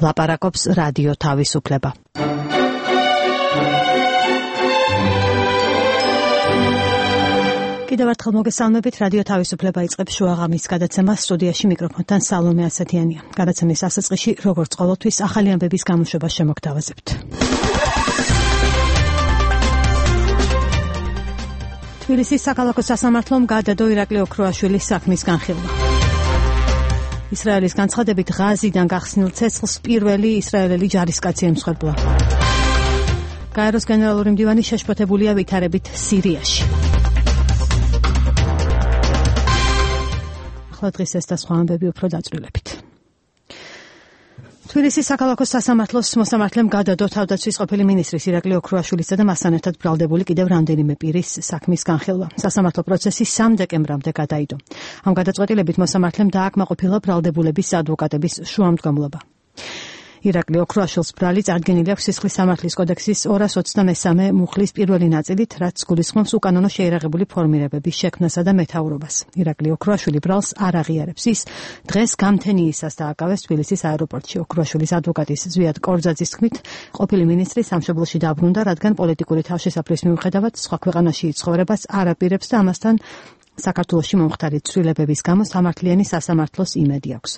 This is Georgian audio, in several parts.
ლაპარაკობს რადიო თავისუფლება. კიდევ ერთხელ მოგესალმებით, რადიო თავისუფლება იწყებს შუაღამის გადაცემას, სტუდიაში მიკროფონთან სალომე ასათიანია. გადაცემის დასაწყისში, როგორც ყოველთვის, ახალი ამბების გამოშვებას შემოგთავაზებთ. თბილისის საქალაქო სასამართლომ გადადო ირაკლი ოქროაშვილის საქმის განხილვა. ისრაელის განცხადებით ღაზიდან გახსნილ ცეცხლს პირველი ისრაელელი ჯარისკაცი ემსხვერპლა. გაეროს გენერალური მდივანი შეშფოთებულია ვითარებით სირიაში. ახლა დღის ეს და სხვა ამბები უფრო დაწვრილებით. თბილისის საქალაქო სასამართლოს მოსამართლემ გადადო თავდაცვის ყოფილი მინისტრის ირაკლი ოქროაშვილისა და მასთან ერთად ბრალდებული კიდევ რამდენიმე პირის საქმის განხილვა. სასამართლო პროცესი 3 დეკემბრამდე გადაიდო. ამ გადაწყვეტილებით მოსამართლემ დააკმაყოფილა ბრალდებულების ადვოკატების შუამდგომლობა. ირაკლი ოქროაშვილს ბრალი წარდგენილი აქვს სისხლის სამართლის კოდექსის 223 მუხლის პირველი ნაწილით, რაც გულისხმობს უკანონო შეიარაღებული ფორმირებების შექმნასა და მეთაურობას. ირაკლი ოქროაშვილი ბრალს არ აღიარებს. ის დღეს გამთენიისას დააკავეს თბილისის აეროპორტში. ოქროაშვილის ადვოკატის ზვიად კორძაძის თქმით, ყოფილი მინისტრი სამშობლოში დაბრუნდა, რადგან პოლიტიკური თავშესაფრის მიუხედავად სხვა ქვეყანაში ცხოვრებას არ აპირებს და ამასთან საქართველოში მომხდარი ცვლილებების გამო სამართლიანი სასამართლოს იმედი აქვს.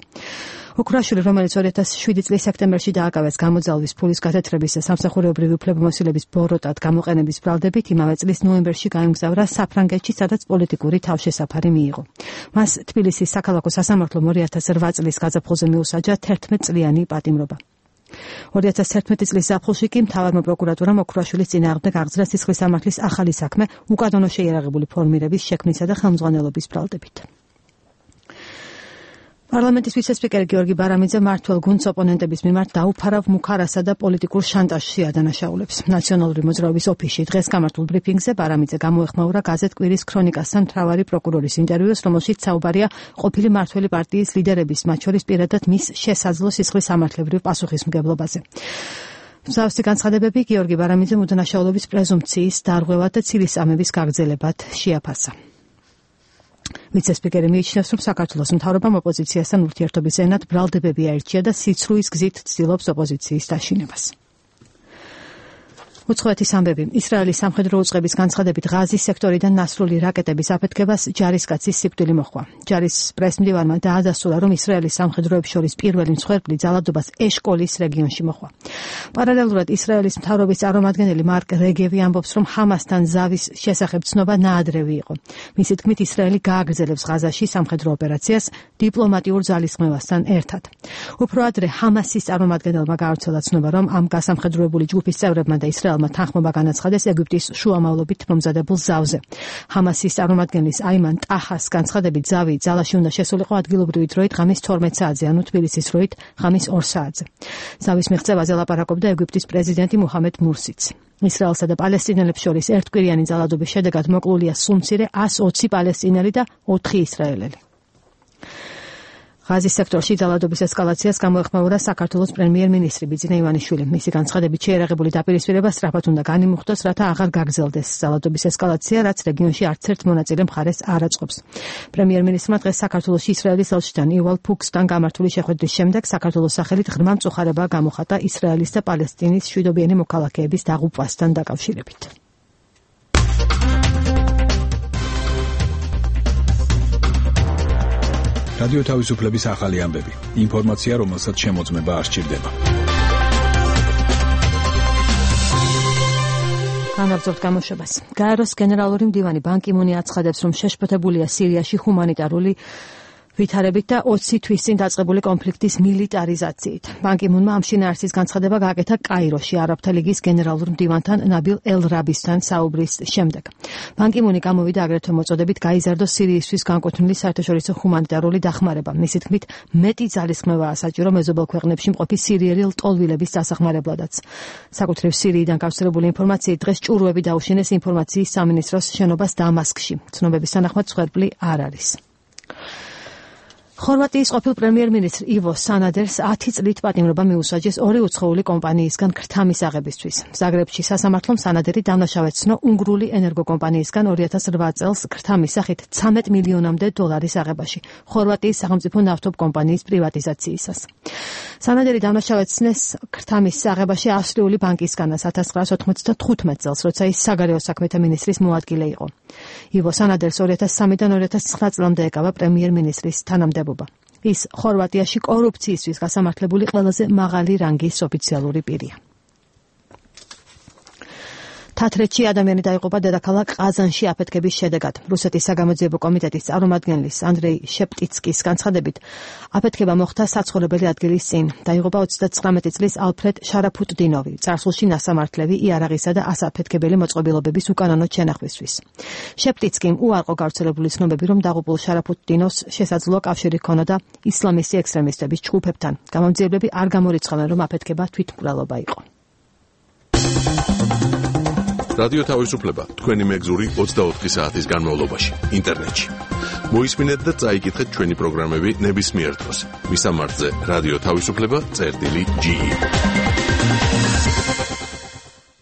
ოქროაშვილი, რომელიც 2007 წლის სექტემბერში დააკავეს გამოძალვის ფულის გათეთრების და სამსახურეობრივი უფლებამოსილების ბოროტად გამოყენების ბრალდებით, იმავე წლის ნოემბერში გაემგზავრა საფრანგეთში, სადაც პოლიტიკური თავშესაფარი მიიღო. მას თბილისის საქალაქო სასამართლომ 2008 წლის გაზაფხულზე მიუსაჯა 11 წლიანი პატიმრობა. 2011 წლის ზაფხულში კი მთავარმა პროკურატურამ ოქროაშვილის წინააღმდეგ აღძრა სისხლის სამართლის ახალი საქმე უკანონო შეიარაღებული ფორმირების შექმნისა და ხელმძღვანელობის ბრალდებით. პარლამენტის ვიცე-სპიკერი გიორგი ბარამიძე მმართველ გუნდს ოპონენტების მიმართ დაუფარავ მუქარასა და პოლიტიკურ შანტაჟში ადანაშაულებს. ნაციონალური მოძრაობის ოფისში დღეს გამართულ ბრიფინგზე ბარამიძე გამოეხმაურა გაზეთ კვირის ქრონიკასთან მთავარი პროკურორის ინტერვიუს, რომელშიც საუბარია ყოფილი მმართველი პარტიის ლიდერების, მათ შორის პირადად მის შესაძლო სისხლის სამართლებრივ პასუხისმგებლობაზე. მსგავსი განცხადებები გიორგი ბარამიძემ უდანაშაულობის პრეზუმპციის დარღვევად და ცილისწამების გაგრძელებად შეაფასა. ვიცე-სპიკერი მიიჩნევს, რომ საქართველოს მთავრობამ ოპოზიციასთან ურთიერთობის ენად ბრალდებები აირჩია და სიცრუის გზით ცდილობს ოპოზიციის დაშინებას. უცხოეთის ამბები. ისრაელის სამხედრო უწყების განცხადებით ღაზის სექტორიდან ნასრული რაკეტების აფეთქებას ჯარისკაცის სიკვდილი მოჰყვა. ჯარის პრესმდივანმა დაადასტურა, რომ ისრაელის სამხედროებს შორის პირველი მსხვერპლი ძალადობას ეშკოლის რეგიონში მოჰყვა. პარალელურად ისრაელის მთავრობის წარმომადგენელი მარკ რეგევი ამბობს, რომ ჰამასთან ზავის შესახებ ცნობა ნაადრევი იყო. მისი თქმით, ისრაელი გააგრძელებს ღაზაში სამხედრო ოპერაციას დიპლომატიურ ძალისხმევასთან ერთად. უფრო ადრე ჰამასის წარმომადგენელმა გაავრცელა ცნობა, რომ ამ გასამხედროებული ჯგუფის წევრებმა და ისრაელმა თანხმობა განაცხადეს ეგვიპტის შუამავლობით მომზადებულ ზავზე. ჰამასის წარმომადგენლის აიმან ტაჰას განცხადებით, ზავი ძალაში უნდა შესულიყო ადგილობრივი დროით ღამის 12 საათზე, ანუ თბილისის დროით ღამის 2 საათზე. ზავის მიღწევაზე ლაპარაკობდა ეგვიპტის პრეზიდენტი მუჰამედ მურსიც. ისრაელსა და პალესტინელებს შორის ერთკვირიანი ძალადობის შედეგად მოკლულია სულ მცირე 120 პალესტინელი და 4 ისრაელელი. ღაზის სექტორში ძალადობის ესკალაციას გამოეხმაურა საქართველოს პრემიერ-მინისტრი ბიძინა ივანიშვილი. მისი განცხადებით, შეიარაღებული დაპირისპირება სწრაფად უნდა განიმუხტოს, რათა აღარ გაგრძელდეს ძალადობის ესკალაცია, რაც რეგიონში არც ერთ მონაწილე მხარეს არ აწყობს. პრემიერ-მინისტრმა დღეს საქართველოში ისრაელის ელჩთან იუვალ ფუქსთან გამართული შეხვედრის შემდეგ საქართველოს სახელით ღრმა მწუხარება გამოხატა ისრაელის და პალესტინის მშვიდობიანი მოქალაქეების დაღუპვასთან დაკავშირებით. რადიო თავისუფლების ახალი ამბები. ინფორმაცია, რომელსაც შემოწმება არ სჭირდება. განაგრძობთ გამოშვებას. გაეროს გენერალური მდივანი ბან კი მუნი აცხადებს, რომ შეშფოთებულია სირიაში ჰუმანიტარული ვითარებით და 20 თვის წინ დაწყებული კონფლიქტის მილიტარიზაციით. ბან კი მუნმა ამ შინაარსის განცხადება გააკეთა კაიროში არაბთა ლიგის გენერალურ მდივანთან ნაბილ ელ-რაბისთან საუბრის შემდეგ. ბან კი მუნი გამოვიდა აგრეთვე მოწოდებით გაიზარდოს სირიისთვის განკუთვნილი საერთაშორისო ჰუმანიტარული დახმარება. მისი თქმით, მეტი ძალისხმევაა საჭირო მეზობელ ქვეყნებში მყოფი სირიელი ლტოლვილების დასახმარებლადაც. საკუთრივ სირიიდან გავრცელებული ინფორმაციით დღეს ჭურვები დაუშინეს ინფორმაციის სამინისტროს შენობას დამასკში. ცნობების თანახმად მსხვერპლი არ არის. ხორვატიის ყოფილ პრემიერ-მინისტრ ივო სანადერს 10 წლით პატიმრობა მიუსაჯეს ორი უცხოური კომპანიისგან ქრთამის აღებისთვის. ზაგრებში სასამართლომ სანადერი დამნაშავედ ცნო უნგრული ენერგოკომპანიისგან 2008 წელს ქრთამის სახით 13 მილიონამდე დოლარის აღებაში, ხორვატიის სახელმწიფო ნავთობ კომპანიის პრივატიზაციისას. სანადერი დამნაშავედ ცნეს ქრთამის აღებაში ავსტრიული ბანკისგანაც 1995 წელს, როცა ის საგარეო საქმეთა მინისტრის მოადგილე იყო. ივო სანადერს 2003-დან 2009 წლამდე ეკავა პრემიერ-მინისტრის თანამდებობა. ის ხორვატიაში კორუფციისთვის გასამართლებული ყველაზე მაღალი რანგის ოფიციალური პირია. თათრეთში ადამიანი დაიღუპა დედაქალაქ ყაზანში აფეთქების შედეგად. რუსეთის საგამოძიებო კომიტეტის წარმომადგენლის ანდრეი შეპტიცკის განცხადებით, აფეთქება მოხდა საცხოვრებელი ადგილის წინ. დაიღუპა 39 წლის ალფრედ შარაფუტდინოვი, წარსულში ნასამართლევი იარაღისა და ასაფეთქებელი მოწყობილობების უკანონო შენახვისთვის. შეპტიცკიმ უარყო გავრცელებული ცნობები, რომ დაღუპულ შარაფუტდინოვს შესაძლოა კავშირი ჰქონოდა ისლამისტი ექსტრემისტების ჯგუფებთან. გამომძიებლები არ გამორიცხავენ, რომ აფეთქება თვითმკვლელობა იყო. რადიო თავისუფლება თქვენი მეგზური 24 საათის განმავლობაში ინტერნეტში. მოისმინეთ და წაიკითხეთ ჩვენი პროგრამები ნებისმიერ დროს. მისამართზე რადიო თავისუფლება.ge.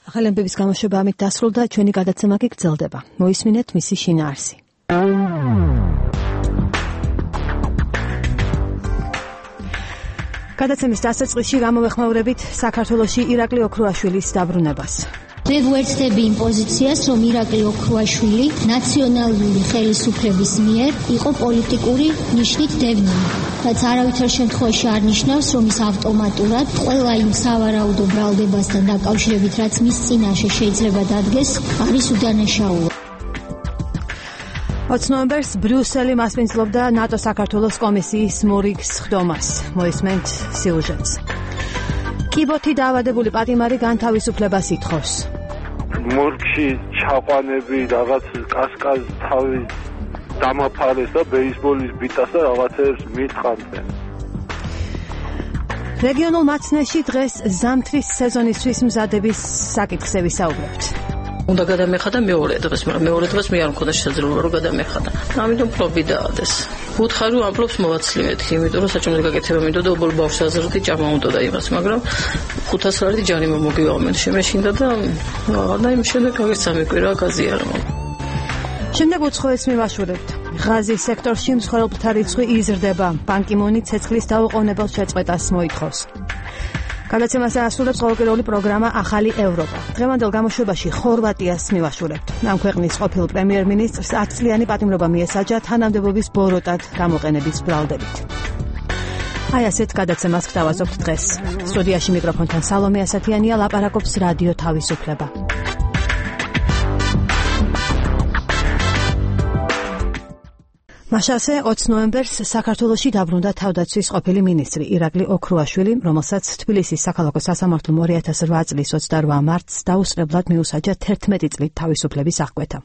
ახალი ამბების გამოშვება ამით დასრულდა, ჩვენი გადაცემა კი გრძელდება. მოისმინეთ მისი შინაარსი. გადაცემის დასაწყისში გამოვეხმაურებით საქართველოში ირაკლი ოქრუაშვილის დაბრუნებას. მე ვუერთდები იმ პოზიციას, რომ ირაკლი ოქრუაშვილი ნაციონალური ხელისუფლების მიერ იყო პოლიტიკური ნიშნით დევნილი. რაც არავითარ შემთხვევაში არ ნიშნავს, რომ ის ავტომატურად ყველა იმ სავარაუდო ბრალდებასთან დაკავშირებით, რაც მის წინაშე შეიძლება დადგეს, არის უდანაშაულო. 20 ნოემბერს ბრიუსელი მასპინძლობდა ნატო-საქართველოს კომისიის მორიგს ხდომას. მოისმენთ სიუჟეტს. კიბოთი დაავადებული პატიმარი განთავისუფლებას ითხოვს. მორგში ჩაყვანები, რაღაც კასკაზ თავი დამაფარეს და ბეისბოლის ბიტას და რაღაცებს მითხანდნენ. რეგიონულ მაცნეში დღეს ზამთრის სეზონისთვის მზადების საკითხზე ვისაუბრებთ. უნდა გადამეხადა მეორე დღეს, მაგრამ მეორე დღეს მე არ მქონდა შესაძლებლობა რომ გადამეხადა. ამიტომ ფლობი დაადეს. უთხარი რომ ამბობს მოვაცლივეთ, იმიტომ რომ საჭმელი გაკეთება მინდოდა ობოლ ბავშვს აზრდი ჭამა უნდოდა იმას, მაგრამ 500 ლარი ჯანი მომოგივამენ შემეშინდა და და იმ შემდეგ გაგეც ამიკვირა გაზიარმა. შემდეგ უცხოეს მივაშურებთ. ღაზის სექტორში მსხვერპლთა რიცხვი იზრდება. ბან კი მუნი ცეცხლის დაუყოვნებელ შეწყვეტას მოითხოვს. გადაცემას ასრულებს ყოველკვირეული პროგრამა ახალი ევროპა. დღევანდელ გამოშვებაში ხორვატიას მივაშურებთ. ამ ქვეყნის ყოფილ პრემიერ-მინისტრს 10 წლიანი პატიმრობა მიესაჯა თანამდებობის ბოროტად გამოყენების ბრალდებით. აი ასეთ გადაცემას გთავაზობთ დღეს. სტუდიაში მიკროფონთან სალომე ასათიანია, ლაპარაკობს რადიო თავისუფლება. მაშასე 20 ნოემბერს საქართველოში დაბრუნდა თავდაცვის ყოფილი მინისტრი ირაკლი ოქრუაშვილი, რომელსაც თბილისის საქალაქო სასამართლომ 2008 წლის 28 მარტს დაუსწრებლად მიუსაჯა 11 წლით თავისუფლების აღკვეთა.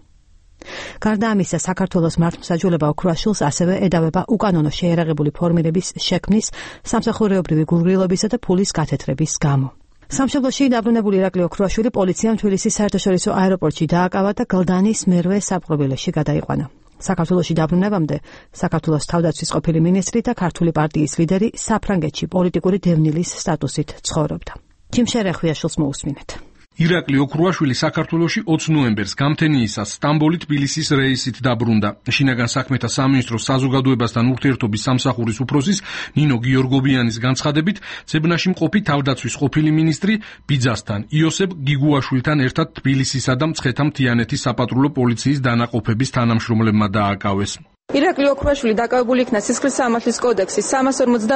გარდა ამისა, საქართველოს მართლმსაჯულება ოქრუაშვილს ასევე ედავება უკანონო შეიარაღებული ფორმირების შექმნის, სამსახურეობრივი გულგრილობისა და ფულის გათეთრების გამო. სამშობლოში დაბრუნებული ირაკლი ოქრუაშვილი პოლიციამ თბილისის საერთაშორისო აეროპორტში დააკავა და გლდანის მერვე საპყრობილეში გადაიყვანა. საქართველოში დაბრუნებამდე საქართველოს თავდაცვის ყოფილი მინისტრი და ქართული პარტიის ლიდერი საფრანგეთში პოლიტიკური დევნილის სტატუსით ცხოვრობდა. ჯიმშერ ეხვიაშვილს მოусმინეთ. ირაკლი ოქრუაშვილი საქართველოში 20 ნოემბერს გამთენიისას სტამბოლი თბილისის რეისით დაბრუნდა. შინაგან საქმეთა სამინისტროს საზოგადოებასთან ურთიერთობის სამსახურის უფროსის ნინო გიორგობიანის განცხადებით, ძებნაში მყოფი თავდაცვის ყოფილი მინისტრი ბიძასთან იოსებ გიგუაშვილთან ერთად თბილისისა და მცხეთა-მთიანეთის საპატრულო პოლიციის დანაყოფების თანამშრომლებმა დააკავეს. ირაკლი ოქრუაშვილი დაკავებული იქნა სისხლის სამართლის კოდექსის 342,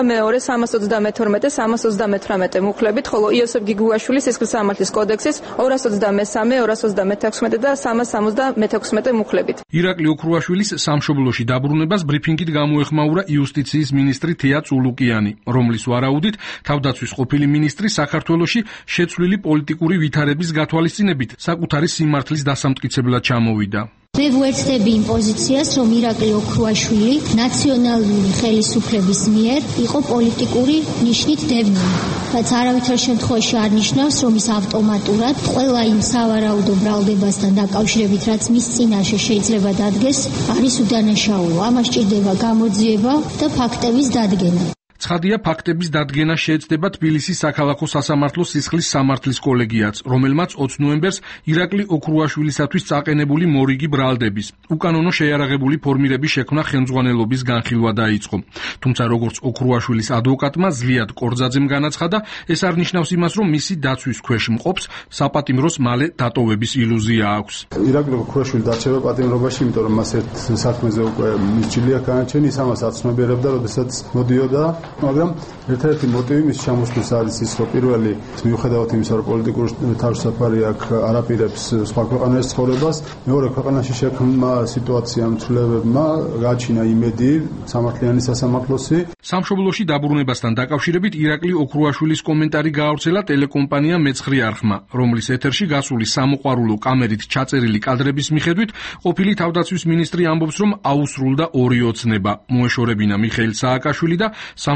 332, 338 მუხლებით, ხოლო იოსებ გიგუაშვილი სისხლის სამართლის კოდექსის 223, 236 და 376 მუხლებით. ირაკლი ოქრუაშვილის სამშობლოში დაბრუნებას ბრიფინგით გამოეხმაურა იუსტიციის მინისტრი თეა წულუკიანი, რომლის ვარაუდით თავდაცვის ყოფილი მინისტრი საქართველოში შეცვლილი პოლიტიკური ვითარების გათვალისწინებით საკუთარი სიმართლის დასამტკიცებლად ჩამოვიდა. მე ვუერთდები იმ პოზიციას, რომ ირაკლი ოქრუაშვილი ნაციონალური ხელისუფლების მიერ იყო პოლიტიკური ნიშნით დევნილი. რაც არავითარ შემთხვევაში არ ნიშნავს, რომ ის ავტომატურად ყველა იმ სავარაუდო ბრალდებასთან დაკავშირებით, რაც მის წინაშე შეიძლება დადგეს, არის უდანაშაულო. ამას სჭირდება გამოძიება და ფაქტების დადგენა. ცხადია, ფაქტების დადგენა შეეცდება თბილისის საქალაქო სასამართლოს სისხლის სამართლის კოლეგიაც, რომელმაც 20 ნოემბერს ირაკლი ოქრუაშვილისათვის წაყენებული მორიგი ბრალდების უკანონო შეიარაღებული ფორმირების შექმნა ხელმძღვანელობის განხილვა დაიწყო. თუმცა როგორც ოქრუაშვილის ადვოკატმა ზლიად კორძაძემ განაცხადა, ეს არ ნიშნავს იმას, რომ მისი დაცვის ქვეშ მყოფს საპატიმროს მალე დატოვების ილუზია აქვს. ირაკლი ოქრუაშვილი დარჩება პატიმრობაში, იმიტომ რომ მას ერთ საქმეზე უკვე მისჯილია განაჩენი, ის ამას აცნობიერებდა, როდესაც მოდიოდა. მაგრამ ერთ-ერთი მოტივი მის ჩამოსვლის არის ის, რომ პირველი მიუხედავად იმისა, რომ პოლიტიკური თავისუფლება აქვს არაპირებს სხვა ქვეყანაში ცხოვრებას, მეორე ქვეყანაში შექმნა სიტუაციამ ცვლილებებმა გააჩინა იმედი სამართლიანი სასამართლოსი. სამშობლოში დაბრუნებასთან დაკავშირებით ირაკლი ოქრუაშვილის კომენტარი გაავრცელა ტელეკომპანია მეცხრე არხმა, რომლის ეთერში გასული სამოყვარულო კამერით ჩაწერილი კადრების მიხედვით ყოფილი თავდაცვის მინისტრი ამბობს, რომ აუსრულდა ორი ოცნება, მოეშორებინა მიხეილ სააკაშვილი და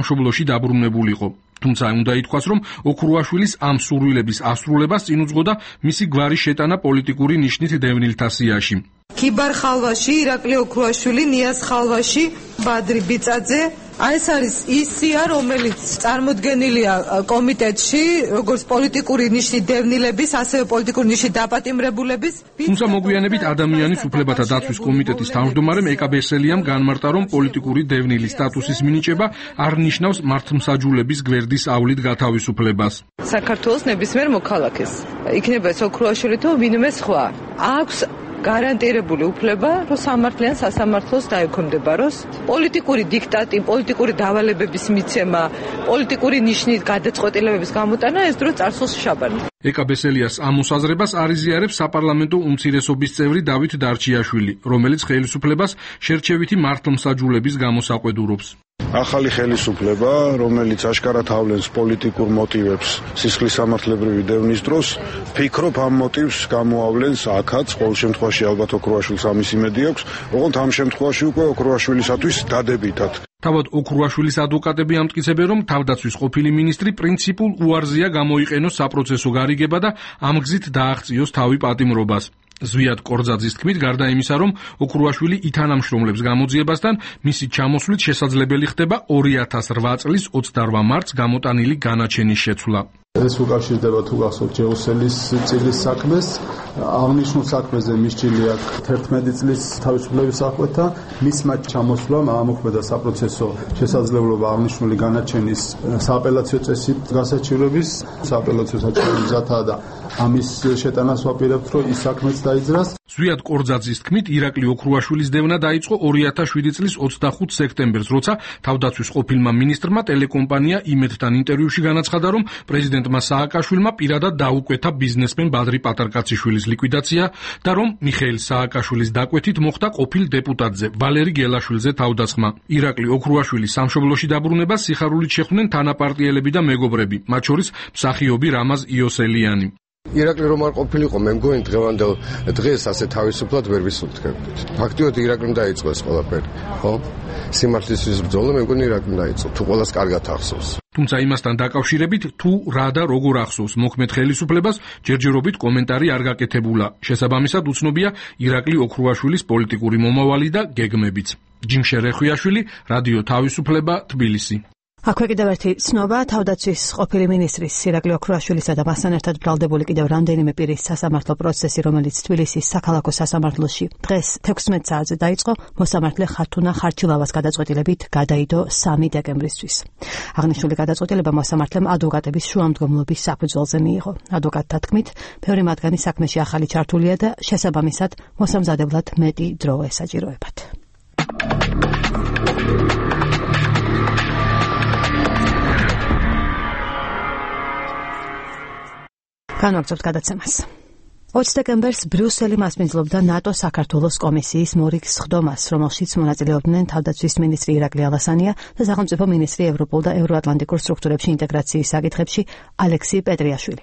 სამშობლოში დაბრუნებულიყო. თუმცა უნდა ითქვას, რომ ოქრუაშვილის ამ სურვილების ასრულებას წინ უძღოდა მისი გვარის შეტანა პოლიტიკური ნიშნით დევნილთა სიაში. ქიბარ ხალვაში ირაკლი ოქრუაშვილი, ნიაზ ხალვაში ბადრი ბიწაძე. ეს არის ის სია, რომელიც წარმოდგენილია კომიტეტში, როგორც პოლიტიკური ნიშნით დევნილების, ასევე პოლიტიკური ნიშნით დაპატიმრებულების. თუმცა მოგვიანებით ადამიანის უფლებათა დაცვის კომიტეტის თავმჯდომარემ ეკაბესელიამ განმარტა, რომ პოლიტიკური დევნილის სტატუსის მინიჭება არ ნიშნავს მართლმსაჯულების გვერდის ავლით გათავისუფლებას. საქართველოს ნებისმიერ მოქალაქეს, იქნება ეს ოქრუაშვილი თუ ვინმე სხვა, აქვს გარანტირებული უფლება, რომ სამართლიან სასამართლოს დაექვემდებაროს. პოლიტიკური დიქტატი, პოლიტიკური დავალებების მიცემა, პოლიტიკური ნიშნით გადაწყვეტილებების გამოტანა ეს დრო წარსულს შაბანი. ეკაბესელიას ამ მოსაზრებას არიზიარებს საპარლამენტო უმცირესობის წევრი დავით დარჩიაშვილი, რომელიც ხელისუფლებას შერჩევითი მართლმსაჯულების გამოსაყვედურობს. ახალი ხელისუფლება, რომელიც აშკარად ავლენს პოლიტიკურ მოტივებს სისხლის სამართლებრივი დევნის დროს, ფიქრობ ამ მოტივს გამოავლენს აქაც, ყოველ შემთხვევაში ალბათ ოქრუაშვილს ამის იმედი აქვს, ოღონდ ამ შემთხვევაში უკვე ოქრუაშვილისათვის დადებითად. თავად ოქრუაშვილის ადვოკატები ამტკიცებენ, რომ თავდაცვის ყოფილი მინისტრი პრინციპულ უარზია გამოიყენოს საპროცესო გარიგება და ამ გზით დააღწიოს თავი პატიმრობას. ზვიად კორძაძის თქმით, გარდა იმისა, რომ ოქრუაშვილი ითანამშრომლებს გამოძიებასთან, მისი ჩამოსვლით შესაძლებელი ხდება 2008 წლის 28 მარტს გამოტანილი განაჩენის შეცვლა. ეს უკავშირდება თუ გახსოვთ ჯეუსელის წილის საქმეს. აღნიშნულ საქმეზე მისჯილი აქვს 11 წლის თავისუფლების აღკვეთა. მისმა ჩამოსვლამ ამოქმედა საპროცესო შესაძლებლობა აღნიშნული განაჩენის სააპელაციო წესით გასაჩივრების. სააპელაციო საჩივრების მზადაა და ამის შეტანას ვაპირებთ, რომ ის საქმეც დაიძრას. ზვიად კორძაძის თქმით, ირაკლი ოქრუაშვილის დევნა დაიწყო 2007 წლის 25 სექტემბერს, როცა თავდაცვის ყოფილმა მინისტრმა ტელეკომპანია იმედთან ინტერვიუში განაცხადა, რომ პრეზიდენტმა სააკაშვილმა პირადად დაუკვეთა ბიზნესმენ ბადრი პატარკაციშვილის ლიკვიდაცია და რომ მიხეილ სააკაშვილის დაკვეთით მოხდა ყოფილ დეპუტატზე ვალერი გელაშვილზე თავდასხმა. ირაკლი ოქრუაშვილის სამშობლოში დაბრუნებას სიხარულით შეხვდნენ თანაპარტიელები და მეგობრები, მათ შორის მსახიობი რამაზ იოსელიანი. ირაკლი რომ არ ყოფილიყო, მე მგონი დღევანდელ დღეს ასე თავისუფლად ვერ ვისურვებდით. ფაქტიურად ირაკლიმ დაიწყო ეს ყველაფერი, ხო? სიმართლისთვის ბრძოლა მე მგონი ირაკლიმ დაიწყო, თუ ყველას კარგად ახსოვს. თუმცა იმასთან დაკავშირებით, თუ რა და როგორ ახსოვს მოქმედ ხელისუფლებას, ჯერჯერობით კომენტარი არ გაკეთებულა. შესაბამისად უცნობია ირაკლი ოქრუაშვილის პოლიტიკური მომავალი და გეგმებიც. ჯიმშე რეხვიაშვილი, რადიო თავისუფლება, თბილისი. აქვე კიდევ ერთი ცნობა, თავდაცვის ყოფილი მინისტრის ირაკლი ოქრუაშვილისა და მასთან ერთად ბრალდებული კიდევ რამდენიმე პირის სასამართლო პროცესი, რომელიც თბილისის საქალაქო სასამართლოში დღეს 16 საათზე დაიწყო, მოსამართლე ხართუნა ხარჩილავას გადაწყვეტილებით გადაიდო 3 დეკემბრისთვის. აღნიშნული გადაწყვეტილება მოსამართლემ ადვოკატების შუამდგომლობის საფუძველზე მიიღო. ადვოკატთა თქმით, ბევრი მათგანი საქმეში ახალი ჩართულია და შესაბამისად მოსამზადებლად მეტი დრო ესაჭიროებათ. განვაგრძობთ გადაცემას. 20 დეკემბერს ბრიუსელი მასპინძლობდა ნატო საქართველოს კომისიის მორიგ სხდომას, რომელშიც მონაწილეობდნენ თავდაცვის მინისტრი ირაკლი ალასანია და სახელმწიფო მინისტრი ევროპულ და ევროატლანტიკურ სტრუქტურებში ინტეგრაციის საკითხებში ალექსი პეტრიაშვილი.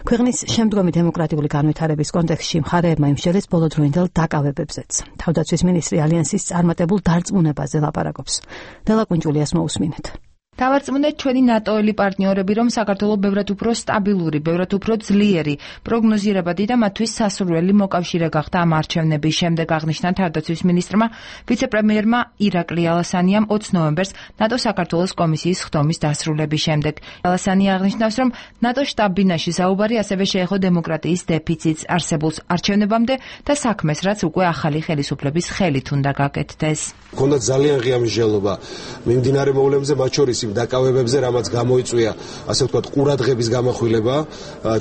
ქვეყნის შემდგომი დემოკრატიული განვითარების კონტექსტში მხარეებმა იმსჯელეს ბოლოდროინდელ დაკავებებზეც. თავდაცვის მინისტრი ალიანსის წარმატებულ დარწმუნებაზე ლაპარაკობს. დელა კუნჯულიას მოусმინეთ. დავარწმუნეთ ჩვენი ნატოელი პარტნიორები, რომ საქართველო ბევრად უფრო სტაბილური, ბევრად უფრო ძლიერი, პროგნოზირებადი და მათთვის სასურველი მოკავშირე გახდა ამ არჩევნების შემდეგ, აღნიშნა თავდაცვის მინისტრმა, ვიცე-პრემიერმა ირაკლი ალასანიამ 20 ნოემბერს ნატო საქართველოს კომისიის ხდომის დასრულების შემდეგ. ალასანია აღნიშნავს, რომ ნატო შტაბ-ბინაში საუბარი ასევე შეეხო დემოკრატიის დეფიციტს არსებულს არჩევნებამდე და საქმეს, რაც უკვე ახალი ხელისუფლების ხელით უნდა გაკეთდეს. Ქონდა ძალიან ღია მსჯელობა მიმდინარე მოვლენებზე, მათ შორის დაკავებებზე, რამაც გამოიწვია, ასე ვთქვათ, ყურადღების გამახვილება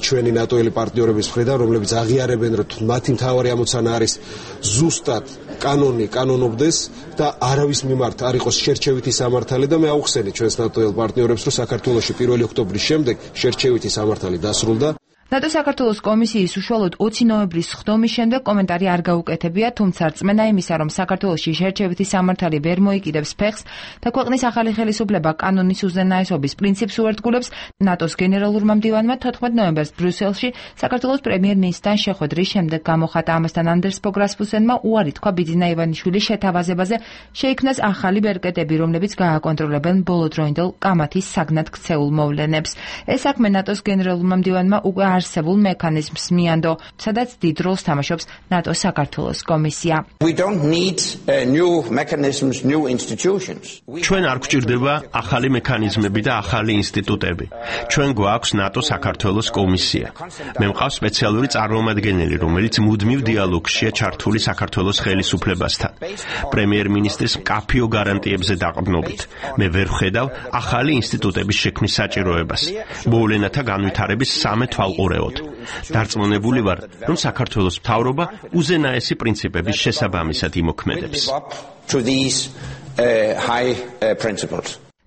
ჩვენი ნატოელი პარტნიორების მხრიდან, რომლებიც აღიარებენ, რომ მათი მთავარი ამოცანა არის ზუსტად კანონობდეს და არავის მიმართ არ იყოს შერჩევითი სამართალი და მე აუხსენე ჩვენს ნატოელ პარტნიორებს, რომ საქართველოში 1 ოქტომბრის შემდეგ შერჩევითი სამართალი დასრულდა. ნატო საქართველოს კომისიის უშუალოდ 20 ნოემბრის ხდომის შემდეგ კომენტარი არ გაუკეთებია, თუმცა რწმენა იმისა, რომ საქართველოში შერჩევითი სამართალი ვერ მოიკიდებს ფეხს და ქვეყნის ახალი ხელისუფლება კანონის უზენაესობის პრინციპს უერთგულებს, ნატოს გენერალურმა მდივანმა 14 ნოემბერს ბრიუსელში საქართველოს პრემიერ-მინისტრთან შეხვედრის შემდეგ გამოხატა. ამასთან ანდერს ბოგ რასმუსენმა უარი თქვა ბიძინა ივანიშვილის შეთავაზებაზე, შეიქმნას ახალი ბერკეტები, რომლებიც გააკონტროლებენ ბოლოდროინდელ კამათის საგნად ქცეულ მოვლენებს. ეს საქმე ნატოს გენერალურმა მდივანმა უკვე არსებულ მექანიზმს მიანდო, სადაც დიდ როლს თამაშობს ნატო საქართველოს კომისია. ჩვენ არ გვჭირდება ახალი მექანიზმები და ახალი ინსტიტუტები. ჩვენ გვაქვს ნატო საქართველოს კომისია. მე მყავს სპეციალური წარმომადგენელი, რომელიც მუდმივ დიალოგშია ჩართული საქართველოს ხელისუფლებასთან. პრემიერ-მინისტრის მკაფიო გარანტიებზე დაყრდნობით. მე ვერ ვხედავ ახალი ინსტიტუტების შექმნის საჭიროებას. მოვლენათა განვითარების სამე თვალყურეოდ. დარწმუნებული ვარ, რომ საქართველოს მთავრობა უზენაესი პრინციპების შესაბამისად იმოქმედებს.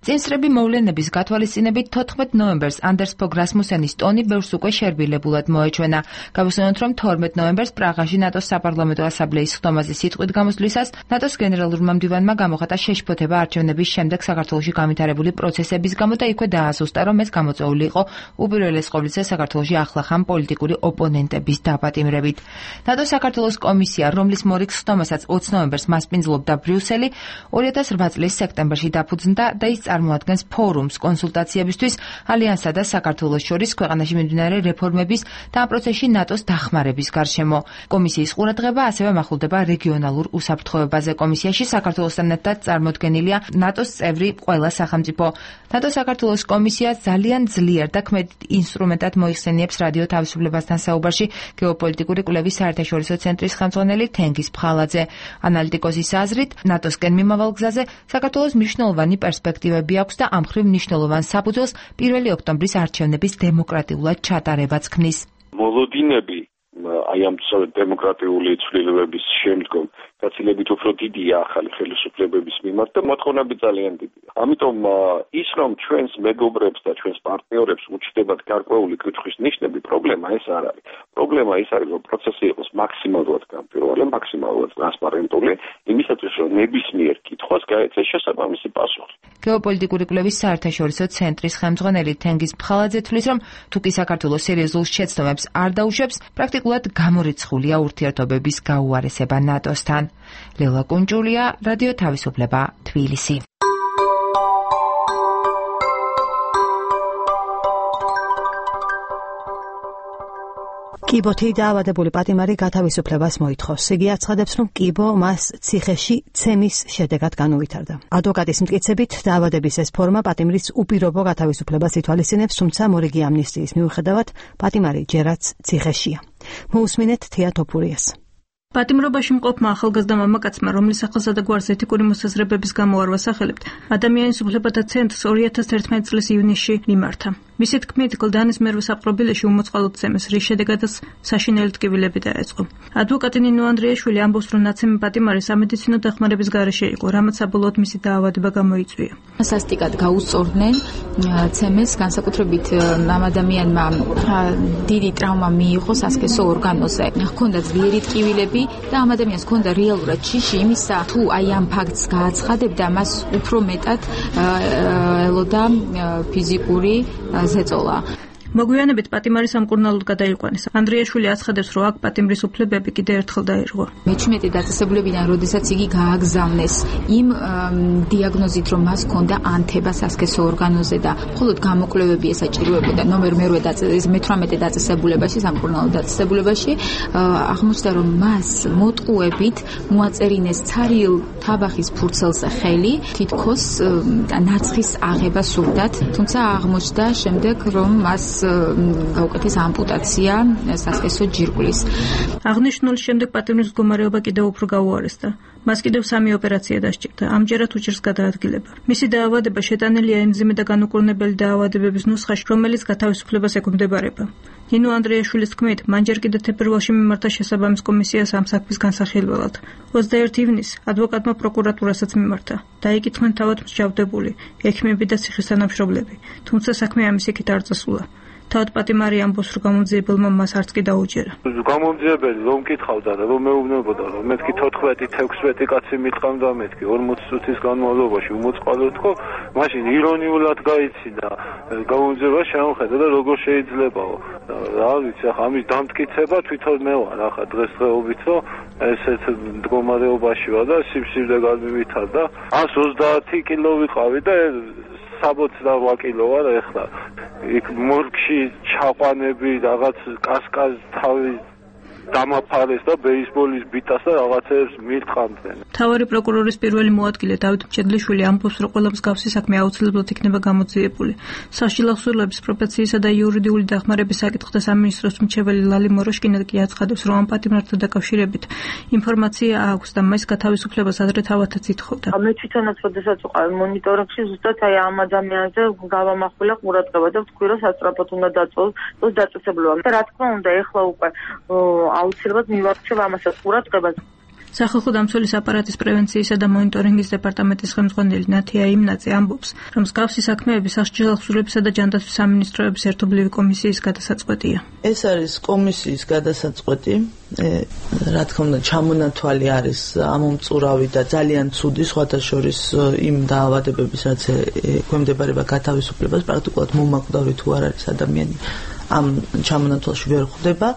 წინსწრები მოვლენების გათვალისწინებით 14 ნოემბერს ანდერს ბოგ რასმუსენის ტონი ბევრს უკვე შერბილებულად მოეჩვენა. გავუსვენოთ, რომ 12 ნოემბერს პრაღაში ნატოს საპარლამენტო ასამბლეის ხდომაზე სიტყვით გამოსვლისას ნატოს გენერალურმა მდივანმა გამოხატა შეშფოთება არჩევნების შემდეგ საქართველოში განვითარებული პროცესების გამო და იქვე დაასუსტა, რომ ეს გამოწვეული იყო უპირველეს ყოვლისა საქართველოში ახლახან პოლიტიკური ოპონენტების დაპატიმრებით. ნატო საქართველოს კომისია, რომლის მორიგ ხდომასაც 20 ნოემბერს მასპინძლობდა ბრიუსელი, 2008 წლის სექტემბერში დაფუძნდა და ის წარმოადგენს ფორუმს კონსულტაციებისთვის ალიანსსა და საქართველოს შორის ქვეყანაში მიმდინარე რეფორმების და ამ პროცესში ნატოს დახმარების გარშემო. კომისიის ყურადღება ასევე მახვილდება რეგიონალურ უსაფრთხოებაზე. კომისიაში საქართველოსთან ერთად წარმოდგენილია ნატოს წევრი ყველა სახელმწიფო. ნატო საქართველოს კომისია ძალიან ძლიერ და ქმედ ინსტრუმენტად მოიხსენიებს რადიო თავისუფლებასთან საუბარში გეოპოლიტიკური კვლევის საერთაშორისო ცენტრის ხელმძღვანელი თენგიზ ფხალაძე. ანალიტიკოსის აზრით, ნატოსკენ მიმავალ გზაზე საქართველოს მნიშვნელოვანი პერსპექტივები აქვს და ამ მხრივ მნიშვნელოვან საფუძველს 1 ოქტომბრის არჩევნების დემოკრატიულად ჩატარებაც ქმნის. მოლოდინები აი ამ დემოკრატიული ცვლილებების შემდგომ გაცილებით უფრო დიდია ახალი ხელისუფლებების მიმართ და მოთხოვნები ძალიან დიდია. ამიტომ ის რომ ჩვენს მეგობრებს და ჩვენს პარტნიორებს უჩნდებათ გარკვეული კითხვის ნიშნები, პრობლემა ეს არ არის. პრობლემა ის არის, რომ პროცესი იყოს მაქსიმალურად გამჭვირვალე, მაქსიმალურად ტრანსპარენტული, იმისათვის რომ ნებისმიერ კითხვას გაეცეს შესაბამისი პასუხი. გეოპოლიტიკური კვლევის საერთაშორისო ცენტრის ხელმძღვანელი თენგიზ ფხალაძე თვლის, რომ თუკი საქართველოს სერიოზულ შეცდომებს არ დაუშვებს, პრაქტიკულად გამორიცხულია ურთიერთობების გაუარესება ნატოსთან. ლელა კუნჯულია, რადიო თავისუფლება, თბილისი. კიბოთი დაავადებული პატიმარი გათავისუფლებას მოითხოვს. იგი აცხადებს, რომ კიბო მას ციხეში ცემის შედეგად განუვითარდა. ადვოკატის მტკიცებით, დაავადების ეს ფორმა პატიმრის უპირობო გათავისუფლებას ითვალისწინებს, თუმცა მორიგი ამნისტიის მიუხედავად, პატიმარი ჯერაც ციხეშია. მოусმინეთ თია თოფურიას. პატიმრობაში მყოფმა ახალგაზრდა მამაკაცმა, რომლის სახელსა და გვარს ეთიკური მოსაზრებების გამო არ ვასახელებთ, ადამიანის უფლებათა ცენტრს 2011 წლის ივნისში მიმართა. მისი თქმით, გლდანის მერვე საპყრობილეში უმოწყალოდ ცემეს, რის შედეგადაც საშინელი ტკივილები დაეწყო. ადვოკატი ნინო ანდრიაშვილი ამბობს, რომ ნაცემი პატიმარი სამედიცინო დახმარების გარეშე იყო, რამაც საბოლოოდ მისი დაავადება გამოიწვია. სასტიკად გაუსწორდნენ ცემეს, განსაკუთრებით ამ ადამიანმა დიდი ტრავმა მიიღო სასქესო ორგანოზე. ჰქონდა ძლიერი ტკივილები და ამ ადამიანს ჰქონდა რეალურად ჯიში იმისა, თუ აი ამ ფაქტს გააცხადებდა, მას უფრო მეტად ელოდა ფიზიკური ზეწოლა. მოგვიანებით პატიმარი სამკურნალოდ გადაიყვანეს. ანდრიაშვილი აცხადებს, რომ აქ პატიმრის უფლებები კიდევ ერთხელ დაირღვა. მე-17 დაწესებულებიდან, როდესაც იგი გააგზავნეს იმ დიაგნოზით, რომ მას ჰქონდა ანთება სასქესო ორგანოზე და მხოლოდ გამოკვლევები ესაჭიროებოდა ნომერ 18 დაწესებულებაში, სამკურნალო დაწესებულებაში, აღმოჩნდა, რომ მას მოტყუებით მოაწერინეს ცარიელ თაბახის ფურცელზე ხელი, თითქოს ნაცხის აღება სურდათ, თუმცა აღმოჩნდა შემდეგ, რომ მას გაუკეთეს ამპუტაცია სასქესო ჯირკვლის. აღნიშნული შემდეგ პატიმრის მდგომარეობა კიდევ უფრო გაუარესდა. მას კიდევ 3 ოპერაცია დასჭირდა. ამჯერად უჭირს გადაადგილება. მისი დაავადება შეტანილია ემზიმე და განუკურნებელი დაავადებების ნუსხაში, რომელიც გათავისუფლებას ექვემდებარება. ნინო ანდრიაშვილის თქმით, მან ჯერ კიდევ თებერვალში მიმართა შესაბამის კომისიას ამ საქმის განსახილველად. 21 ივნისს ადვოკატმა პროკურატურასაც მიმართა. დაიკითხნენ თავად მსჯავრდებული, ექიმები და ციხის თანამშრომლები, თუმცა საქმე ამის იქით არ წასულა. თავად პატიმარი ამბობს, რომ გამომძიებელმა მას არც კი დაუჯერა. გამომძიებელი რომ მკითხავდა და რომ მეუბნებოდა, რომ მეთქი 14-16 კაცი მიტყამდა მეთქი 40 წუთის განმავლობაში უმოწყალოდ ხო, მაშინ ირონიულად გაიცინა გამომძიება შეამხედა და როგორ შეიძლებაო. რა ვიცი, ახლა ამის დამტკიცება თვითონ მე ვარ ახლა დღესდღეობით, რომ ესეთ მდგომარეობაში ვარ და სიბსიბლე გამივითარდა. 130 კილო ვიყავი და 68 კილო ვარ ახლა. იქ მორგში ჩაყვანები, რაღაც კასკაზ თავი დამაფარეს და ბეისბოლის ბიტას და რაღაცებს მირტყამდნენ. მთავარი პროკურორის პირველი მოადგილე დავით მჭედლიშვილი ამბობს, რომ ყველა მსგავსი საქმე აუცილებლად იქნება გამოძიებული. საშილო ხსურლების პროფესიისა და იურიდიული დახმარების საკითხთა სამინისტროს მრჩეველი ლალი მოროშკინა კი აცხადებს, რომ ამ პატიმართან დაკავშირებით ინფორმაცია აქვს და მას გათავისუფლებას ადრე თავათაც ითხოვდა. მე თვითონაც როდესაც ვიყავი მონიტორინგში, ზუსტად აი ამ ადამიანზე გავამახვილა ყურადღება და ვთქვი, რომ სასწრაფოდ უნდა დაწვეს დაწესებულება. და რა თქმა უნდა, ეხლა უკვე აუცილებლად მივარჩევ ამასაც ყურადღებას. სახალხო დამცველის აპარატის პრევენციისა და მონიტორინგის დეპარტამენტის ხელმძღვანელი ნათია იმნაძე ამბობს, რომ მსგავსი საქმეები სასჯელო ხსურებისა და ჯანდაცვის სამინისტროების ერთობლივი კომისიის გადასაწყვეტია. ეს არის კომისიის გადასაწყვეტი, რა თქმა უნდა, ჩამონათვალი არის ამომწურავი და ძალიან ცუდი, სხვათა შორის იმ დაავადებების, რაც ექვემდებარება გათავისუფლებას, პრაქტიკულად მომაკვდავი თუ არ არის ადამიანი ამ ჩამონათვალში ვერ ხვდება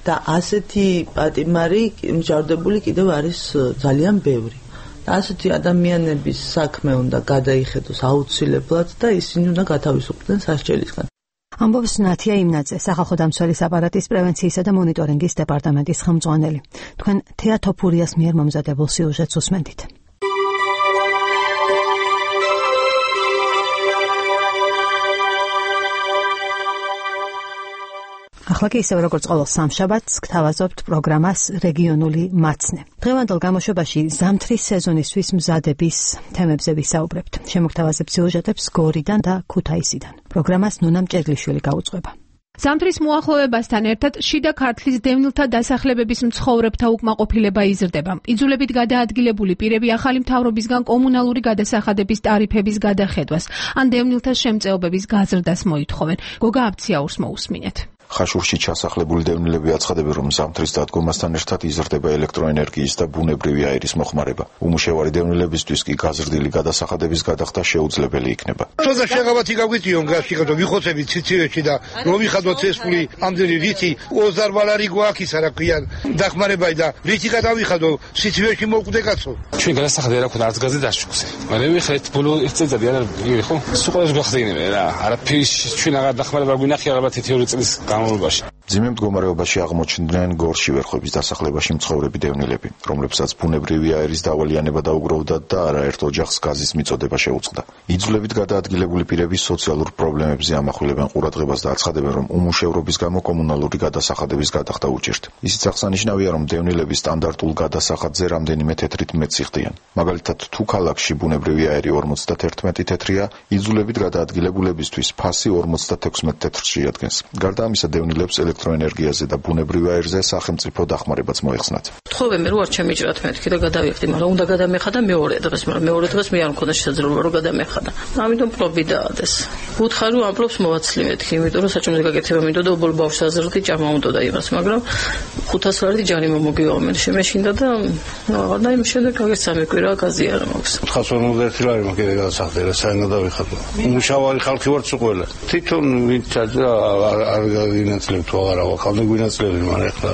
და ასეთი პატიმარი მსჯავრდებული კიდევ არის ძალიან ბევრი. და ასეთი ადამიანების საქმე უნდა გადაიხედოს აუცილებლად და ისინი უნდა გათავისუფლდნენ სასჯელისგან. ამბობს ნათია იმნაძე, სახალხო დამცველის აპარატის პრევენციისა და მონიტორინგის დეპარტამენტის ხელმძღვანელი. თქვენ თეა თოფურიას მიერ მომზადებულ სიუჟეტს უსმენთ. ახლა კი ისევ როგორც ყოველ სამშაბათს გთავაზობთ პროგრამას რეგიონული მაცნე. დღევანდელ გამოშვებაში ზამთრის სეზონისთვის მზადების თემებზე ვისაუბრებთ. შემოგთავაზებთ სიუჟეტებს გორიდან და ქუთაისიდან. პროგრამას ნუნა მჭედლიშვილი გაუძღვება. ზამთრის მოახლოებასთან ერთად შიდა ქართლის დევნილთა დასახლებების მცხოვრებთა უკმაყოფილება იზრდება. იძულებით გადაადგილებული პირები ახალი მთავრობისგან კომუნალური გადასახადების ტარიფების გადახედვას ან დევნილთა შემწეობების გაზრდას მოითხოვენ. გოგა აბციაურს მოусმინეთ. ხაშურში ჩასახლებული დევნილები აცხადებენ, რომ ზამთრის დადგომასთან ერთად იზრდება ელექტროენერგიის და ბუნებრივი აირის მოხმარება. უმუშევარი დევნილებისთვის კი გაზრდილი გადასახადების გადახდა შეუძლებელი იქნება. თორსა შეღავათი გაგვიტიონ გასიკეთო ვიხოცებით ციცივეში და რომ ვიხადოთ წესული ამდენი რითი 20 ბალარი გვაქვს რა ქვიან დახმარებაი და რითი გადავიხადო ციცივეში მოვკვდე კაცო. ჩვენ გადასახადი რა ქონა არც გაზი დაშუქზე. მაგრამ ვიხეთ ბოლო 1 წელიწადი არა ხო? სულ ყველას გვახდენებენ რა. არაფერი ჩვენ აღარ დახმარება გვინახი ალბათ 2 წლის განმავლობაში. მძიმე მდგომარეობაში აღმოჩნდნენ გორში ვერხვების დასახლებაში მცხოვრები დევნილები, რომლებსაც ბუნებრივი აირის დავალიანება დაუგროვდათ და არაერთ ოჯახს გაზის მიწოდება შეუწყდა. იძულებით გადაადგილებული პირები სოციალურ პრობლემებზე ამახვილებენ ყურადღებას და აცხადებენ, რომ უმუშევრობის გამო კომუნალური გადასახადების გადახდა უჭირთ. ისიც აღსანიშნავია, რომ დევნილები სტანდარტულ გადასახადზე რამდენიმე თეთრით მეტს იხდიან. მაგალითად, თუ ქალაქში ბუნებრივი აირი 51 თეთრია, იძულებით გადაადგილებულებისთვის ფასი 56 თეთრს შეადგენს. გარდა ამისა, დევნილებს ელექტროენერგიაზე და ბუნებრივ აირზე სახელმწიფო დახმარებაც მოეხსნათ. თხოვე მე რო არ ჩემიჭრათ მეთქი და გადავიხდი, მაგრამ უნდა გადამეხადა მეორე დღეს, მაგრამ მეორე დღეს მე არ მქონდა შესაძლებლობა რომ გადამეხადა. ამიტომ პრობი დაადეს. უთხარი რომ ამპლობს მოვაცლი მეთქი, იმიტომ რომ საჭმელზე გაკეთება მინდოდა და ობოლ ბავშვს აზრდი ჭამა უნდოდა იმას, მაგრამ 500 ლარი ჯარიმა მოგივამენ. შემეშინდა და და იმ შემდეგ გაგეცამე კვირა გაზი არ მაქვს. 451 ლარი მოკიდე გადასახდე რა საერთოდ დავიხატო. მუშავარი ხალხი ვართ უყველა. თვითონ ვინც არ გინაცლებთ აღარა ხალხი გვინაცლები მაგრამ ეხლა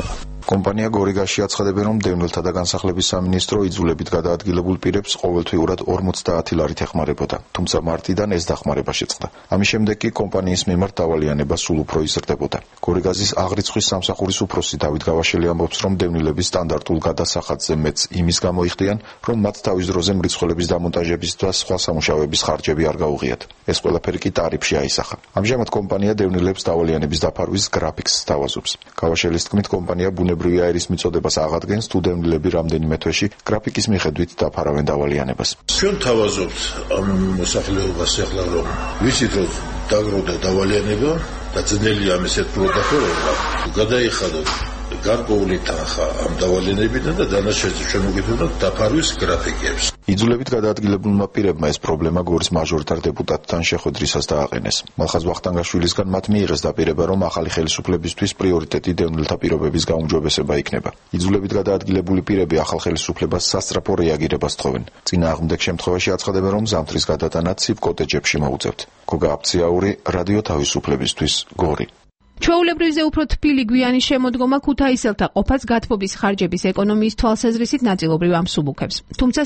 კომპანია გორიგაში აცხადებენ, რომ დევნილთა და განსახლების სამინისტრო იძულებით გადაადგილებულ პირებს ყოველთვიურად 50 ლარით ეხმარებოდა, თუმცა მარტიდან ეს დახმარება შეწყდა. ამის შემდეგ კი კომპანიის მიმართ დავალიანება სულ უფრო იზრდებოდა. გორიგაზის აღრიცხვის სამსახურის უფროსი დავით გავაშელი ამბობს, რომ დევნილები სტანდარტულ გადასახადზე მეც იმის გამო იხდიან, რომ მათ თავის დროზე მრიცხველების დამონტაჟების და სხვა სამუშაოების ხარჯები არ გაუღიათ. ეს ყველაფერი კი ტარიფში აისახა. ამჟამად კომპანია დევნილებს დავალიანების დაფარვის გრაფიკს სთავაზობს. გავაშელის თქმით, კომპანია ბუნებრივი აირის მიწოდებას აღადგენს, თუ დევნილები რამდენიმე თვეში გრაფიკის მიხედვით დაფარავენ დავალიანებას. ჩვენ თავაზობთ ამ მოსახლეობას ახლა რომ ვიცით რომ დაგროვდა დავალიანება და ძნელია ამ ესეთ პროდუქტებმა გადაიხადოთ გარკვეული თანხა ამ დავალიანებიდან და დანარჩენზე ჩვენ მოგითხოვთ დაფარვის გრაფიკებს. იძულებით გადაადგილებულმა პირებმა ეს პრობლემა გორის მაჟორიტარ დეპუტატთან შეხვედრისას დააყენეს. მალხაზ ვახტანგაშვილისგან მათ მიიღეს დაპირება, რომ ახალი ხელისუფლებისთვის პრიორიტეტი დევნილთა პირობების გაუმჯობესება იქნება. იძულებით გადაადგილებული პირები ახალ ხელისუფლებას სასწრაფო რეაგირებას თხოვენ. წინააღმდეგ შემთხვევაში აცხადებენ, რომ ზამთრის გადატანა ცივ კოტეჯებში მოუწევთ. გოგა აფციაური, რადიო თავისუფლებისთვის, გორი. ჩვეულებრივზე უფრო თბილი გვიანი შემოდგომა ქუთაისელთა ყოფას გათბობის ხარჯების ეკონომიის თვალსაზრისით ნაწილობრივ ამსუბუქებს. თუმცა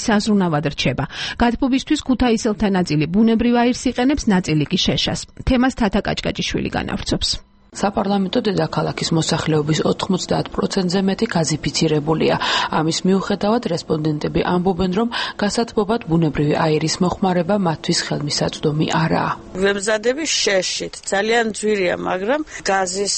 საზრუნავად რჩება. გათბობისთვის ქუთაისელთა ნაწილი ბუნებრივ აირს იყენებს, ნაწილი კი შეშას. თემას თათა კაჭკაჭიშვილი განავრცობს. საპარლამენტო დედაქალაქის მოსახლეობის 90%-ზე მეტი გაზიფიცირებულია. ამის მიუხედავად რესპონდენტები ამბობენ, რომ გასათბობად ბუნებრივი აირის მოხმარება მათთვის ხელმისაწვდომი არაა. ვემზადები შეშით, ძალიან ძვირია, მაგრამ გაზის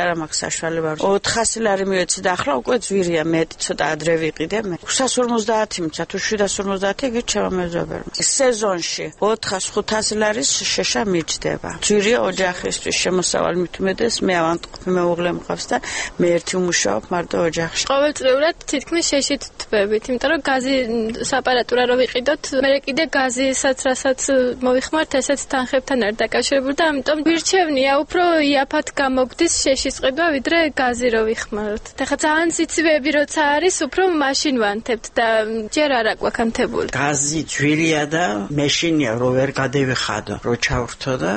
არ მაქვს საშუალება. 400 ლარი მივეცი და ახლა უკვე ძვირია, მეტი ცოტა ადრე ვიყიდე მე. 650 მცა თუ 750 იგი ჩემო მეზობელმა. სეზონში 400-500 ლარის შეშა მიჯდება. ძვირია ოჯახისთვის შემოსავალი მით ეს მე ავანტყოფი მეუღლე მყავს და მე ერთი ვმუშაობ მარტო ოჯახში. ყოველწლიურად თითქმის შეშით თბებით, იმიტომ რომ გაზი საპარატურა რო ვიყიდოთ, მე კიდე გაზისაც რასაც მოვიხმართ, ესეც თანხებთან არ დაკავშირებული და ამიტომ ვირჩევნია უფრო იაფად გამოგდის შეშის ყიდვა, ვიდრე გაზი რო ვიხმაროთ. ეხლა ძალიან სიცივეები როცა არის, უფრო მაშინ ვანთებთ და ჯერ არ აკვაქანთებული. გაზი ძვირია და მეშინია რო ვერ გადევიხადო, რო ჩავრთო და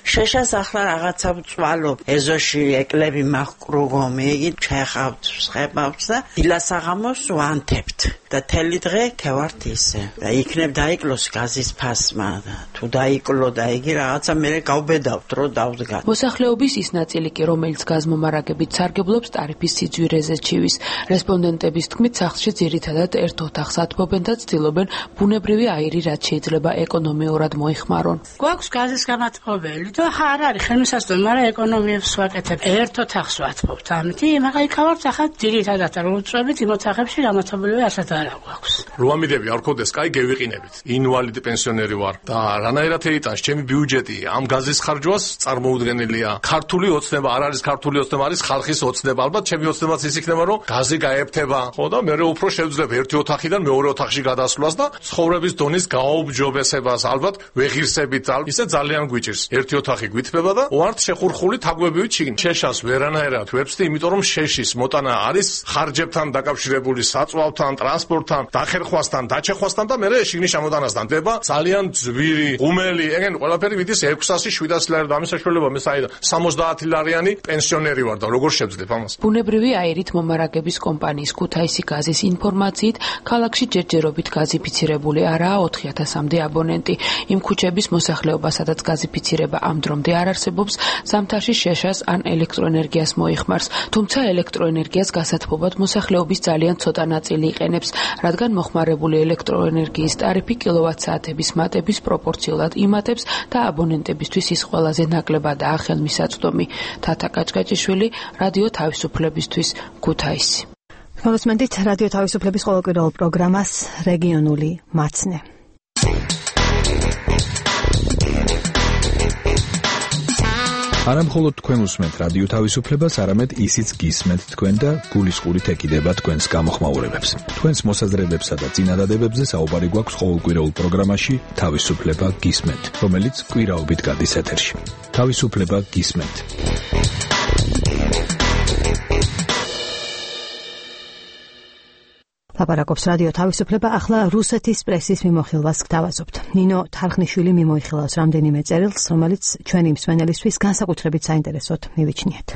შეშას ახლა რაღაცა წვალ ეზოში ეკლები მაყრუღომი იგი ჩეხავთ ხებავთ და დილასაღამოს ვანთებთ და თელი დღე ქევართ ისე და იქნებ დაიკლოს გაზის ფასმა და თუ დაიკლო და იგი რაღაცა მე გავბედავთ რომ დავდგა. მოსახლეობის ის ნაწილი კი რომელიც გაზმომარაგებით სარგებლობს ტარიფის სიძვირეზე ჩივის. რესპონდენტების თქმით სახლში ძირითადად ერთ ოთახს ათბობენ და ცდილობენ ბუნებრივი აირი რაც შეიძლება ეკონომიურად მოიხმარონ. გვაქვს გაზის გამათბობელი და არ არის ხელმისაწვდომი, მაგრამ ეკონომიებს ვაკეთებ. ერთ ოთახს ვათბობთ ამითი, მაგრამ იქავართ ახლა ძირითადად რომ უწევით იმ ოთახებში გამათბობელი ასეთ არ აქვს. რო ამიდები არ ხოდეს, კაი გევიყინებით. ინვალიდი პენსიონერი ვარ და რანაირად ეიტანს ჩემი ბიუჯეტი ამ გაზის ხარჯვას წარმოუდგენელია. ქართული ოცნება არ არის ქართული ოცნება, არის ხალხის ოცნება. ალბათ ჩემი ოცნებაც ის იქნება, რომ გაზი გაეფთება. ხო და მე უფრო შევძლებ ერთი ოთახიდან მეორე ოთახში გადასვლას და ცხოვრების დონის გაუმჯობესებას. ალბათ ვეღირსებით, ისე ძალიან გვიჭირს. ერთი ოთახი გვითბება და ვართ შეხურხული თაგვებივით შიგნით. შეშას ვერანაირად ვებსდი, იმიტომ რომ შეშის მოტანა არის ხარჯებთან დაკავშირებული, საწვავთან, ტრანსპორტთან, დახერა შერხვასთან, დაჩეხვასთან და მერე შიგნით შემოტანასთან დება ძალიან ძვირი, ღუმელი, ეგენ ყველაფერი მიდის 600-700 ლარი და ამის საშუალება მე საერთოდ 70 ლარიანი პენსიონერი ვარ და როგორ შევძლებ ამას? ბუნებრივი აირით მომარაგების კომპანიის ქუთაისი გაზის ინფორმაციით, ქალაქში ჯერჯერობით გაზიფიცირებული არაა 4000-მდე აბონენტი. იმ ქუჩების მოსახლეობა, სადაც გაზიფიცირება ამ დრომდე არ არსებობს, ზამთარში შეშას ან ელექტროენერგიას მოიხმარს, თუმცა ელექტროენერგიას გასათბობად მოსახლეობის ძალიან ცოტა ნაწილი იყენებს, რადგან მოხმარებული ელექტროენერგიის ტარიფი კილოვატ-საათების მატების პროპორციულად იმატებს და აბონენტებისთვის ის ყველაზე ნაკლებადაა ხელმისაწვდომი. თათა კაჭკაჭიშვილი, რადიო თავისუფლებისთვის, ქუთაისი. მოგესმენთ რადიო თავისუფლების ყოველკვირეულ პროგრამას რეგიონული მაცნე. არა მხოლოდ თქვენ უსმენთ რადიო თავისუფლებას, არამედ ისიც გისმენთ თქვენ და გულისყურით ეკიდება თქვენს გამოხმაურებებს. თქვენს მოსაზრებებსა და წინადადებებზე საუბარი გვაქვს ყოველკვირეულ პროგრამაში თავისუფლება გისმენთ, რომელიც კვირაობით გადის ეთერში. თავისუფლება გისმენთ. ლაპარაკობს რადიო თავისუფლება, ახლა რუსეთის პრესის მიმოხილვას გთავაზობთ. ნინო თარხნიშვილი მიმოიხილავს რამდენიმე წერილს, რომელიც ჩვენი მსმენელისთვის განსაკუთრებით საინტერესოდ მივიჩნიათ.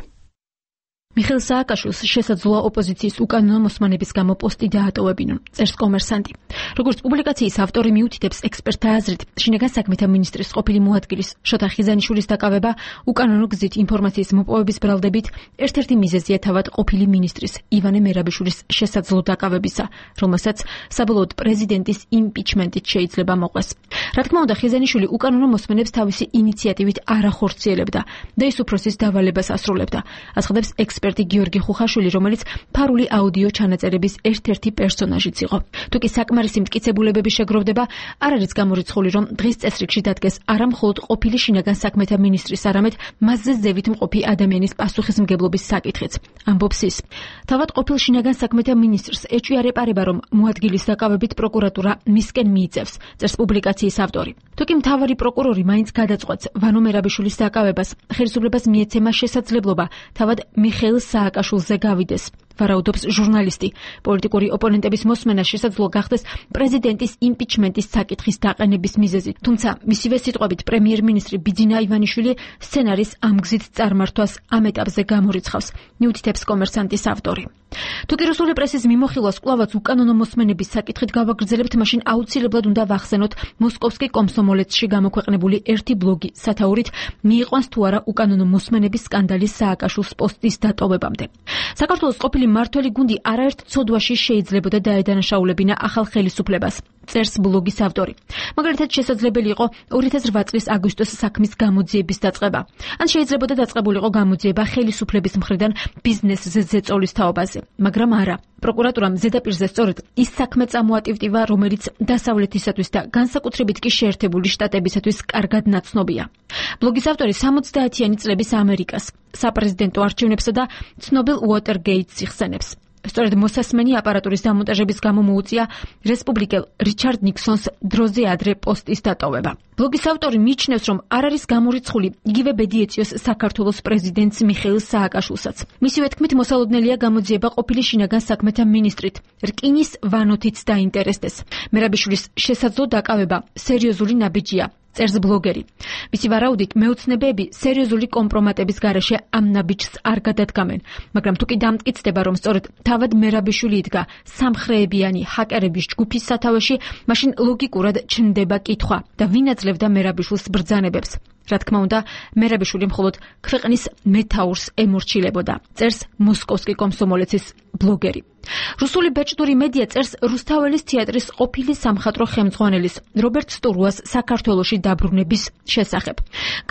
მიხეილ სააკაშვილს შესაძლოა ოპოზიციის უკანონო მოსმენების გამო პოსტი დაატოვებინონ, წერს კომერსანტი. როგორც პუბლიკაციის ავტორი მიუთითებს ექსპერტთა აზრით, შინაგან საქმეთა მინისტრის ყოფილი მოადგილის შოთა ხიზანიშვილის დაკავება უკანონო გზით ინფორმაციის მოპოვების ბრალდებით ერთ-ერთი მიზეზია თავად ყოფილი მინისტრის ივანე მერაბიშვილის შესაძლო დაკავებისა, რომელსაც საბოლოოდ პრეზიდენტის იმპიჩმენტით შეიძლება მოყვეს. რა თქმა უნდა, ხიზანიშვილი უკანონო მოსმენებს თავისი ინიციატივით არ ახორციელებდა და ის უფროსის დავალებას ასრულებდა, აცხადებს ექსპერტი გიორგი ხუხაშვილი, რომელიც ფარული აუდიო ჩანაწერების ერთ-ერთი პერსონაჟიც იყო. თუკი საკმარისი მტკიცებულებები შეგროვდება, არ არის გამორიცხული, რომ დღის წესრიგში დადგეს არა მხოლოდ ყოფილი შინაგან საქმეთა მინისტრის, არამედ მასზე ზევით მყოფი ადამიანის პასუხისმგებლობის საკითხიც. ამბობს ის. თავად ყოფილ შინაგან საქმეთა მინისტრს ეჭვი არ ეპარება, რომ მოადგილის დაკავებით პროკურატურა მისკენ მიიწევს, წერს პუბლიკაციის ავტორი. თუკი მთავარი პროკურორი მაინც გადაწყვეტს ვანო მერაბიშვილის დაკავებას, ხელისუფლებას მიეცემა შესაძლებლობა თავად მიხეილ სააკაშვილზე გავიდეს. ვარაუდობს ჟურნალისტი. პოლიტიკური ოპონენტების მოსმენა შესაძლოა გახდეს პრეზიდენტის იმპიჩმენტის საკითხის დაყენების მიზეზი. თუმცა, მისივე სიტყვებით, პრემიერ-მინისტრი ბიძინა ივანიშვილი სცენარის ამ გზით წარმართვას ამ ეტაპზე გამორიცხავს, მიუთითებს კომერსანტის ავტორი. თუკი რუსული პრესის მიმოხილვას კვლავაც უკანონო მოსმენების საკითხით გავაგრძელებთ, მაშინ აუცილებლად უნდა ვახსენოთ მოსკოვსკი კომსომოლეცში გამოქვეყნებული ერთი ბლოგი სათაურით მიიყვანს თუ არა უკანონო მოსმენების სკანდალის სააკაშვილს პოსტის დატოვებამდე. საქართველოს ყოფილი მართველი გუნდი არაერთ ცოდვაში შეიძლებოდა დაედანაშაულებინა ახალ ხელისუფლებას, წერს ბლოგის ავტორი. მაგალითად, შესაძლებელი იყო 2008 წლის აგვისტოს საქმის გამოძიების დაწყება. ან შეიძლებოდა დაწყებულიყო გამოძიება ხელისუფლების მხრიდან ბიზნესზე ზეწოლის თაობაზე, მაგრამ არა. პროკურატურამ ზედაპირზე სწორედ ის საქმე წამოატივტივა, რომელიც დასავლეთისათვის და განსაკუთრებით კი შეერთებული შტატებისათვის კარგად ნაცნობია. ბლოგის ავტორი 60-იანი წლების ამერიკას, საპრეზიდენტო არჩევნებსა და ცნობილ უოტერგეიტს იხსენებს. სწორედ მოსასმენი აპარატურის დამონტაჟების გამო მოუწია რესპუბლიკელ რიჩარდ ნიქსონს დროზე ადრე პოსტის დატოვება. ბლოგის ავტორი მიიჩნევს, რომ არ არის გამორიცხული იგივე ბედი ეწიოს საქართველოს პრეზიდენტს მიხეილ სააკაშვილსაც. მისივე თქმით, მოსალოდნელია გამოძიება ყოფილი შინაგან საქმეთა მინისტრით, რკინის ვანოთიც დაინტერესდეს. მერაბიშვილის შესაძლო დაკავება სერიოზული ნაბიჯია, წერს ბლოგერი. მისი ვარაუდით, მეოცნებები სერიოზული კომპრომატების გარეშე ამ ნაბიჯს არ გადადგამენ, მაგრამ თუკი დამტკიცდება, რომ სწორედ თავად მერაბიშვილი იდგა სამხრეებიანი ჰაკერების ჯგუფის სათავეში, მაშინ ლოგიკურად ჩნდება კითხვა და ვინ აძლევდა მერაბიშვილს ბრძანებებს. რა თქმა უნდა, მერაბიშვილი მხოლოდ ქვეყნის მეთაურს ემორჩილებოდა, წერს მოსკოვსკი კომსომოლეცის ბლოგერი. რუსული ბეჭდური მედია წერს რუსთაველის თეატრის ყოფილი სამხატვრო ხელმძღვანელის რობერტ სტურუას საქართველოში დაბრუნების შესახებ.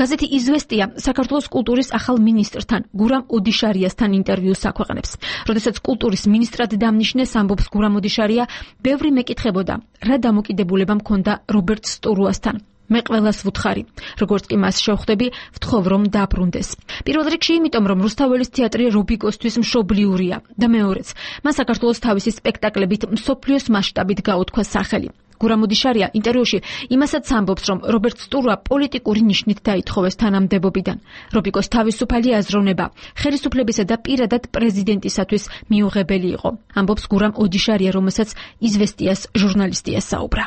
გაზეთი იზვესტია საქართველოს კულტურის ახალ მინისტრთან გურამ ოდიშარიასთან ინტერვიუს აქვეყნებს. როდესაც კულტურის მინისტრად დამნიშნეს, ამბობს გურამ ოდიშარია, ბევრი მეკითხებოდა, რა დამოკიდებულება მქონდა რობერტ სტურუასთან. მე ყველას ვუთხარი, როგორც კი მას შევხვდები, ვთხოვ რომ დაბრუნდეს. პირველ რიგში იმიტომ, რომ რუსთაველის თეატრი რობიკოსთვის მშობლიურია და მეორეც, მან საქართველოს თავისი სპექტაკლებით მსოფლიოს მასშტაბით გაუთქვა სახელი. გურამ უდიშარია ინტერვიუში იმასაც ამბობს, რომ რობერტ სტურვა პოლიტიკური ნიშნით დაითხოვეს თანამდებობიდან. რობიკოს თავისუფალი აზროვნება ხელისუფლებისა და პირადად პრეზიდენტისათვის მიუღებელი იყო. ამბობს გურამ უდიშარია, რომელსაც იზვესტიას ჟურნალისტი ესაუბრა.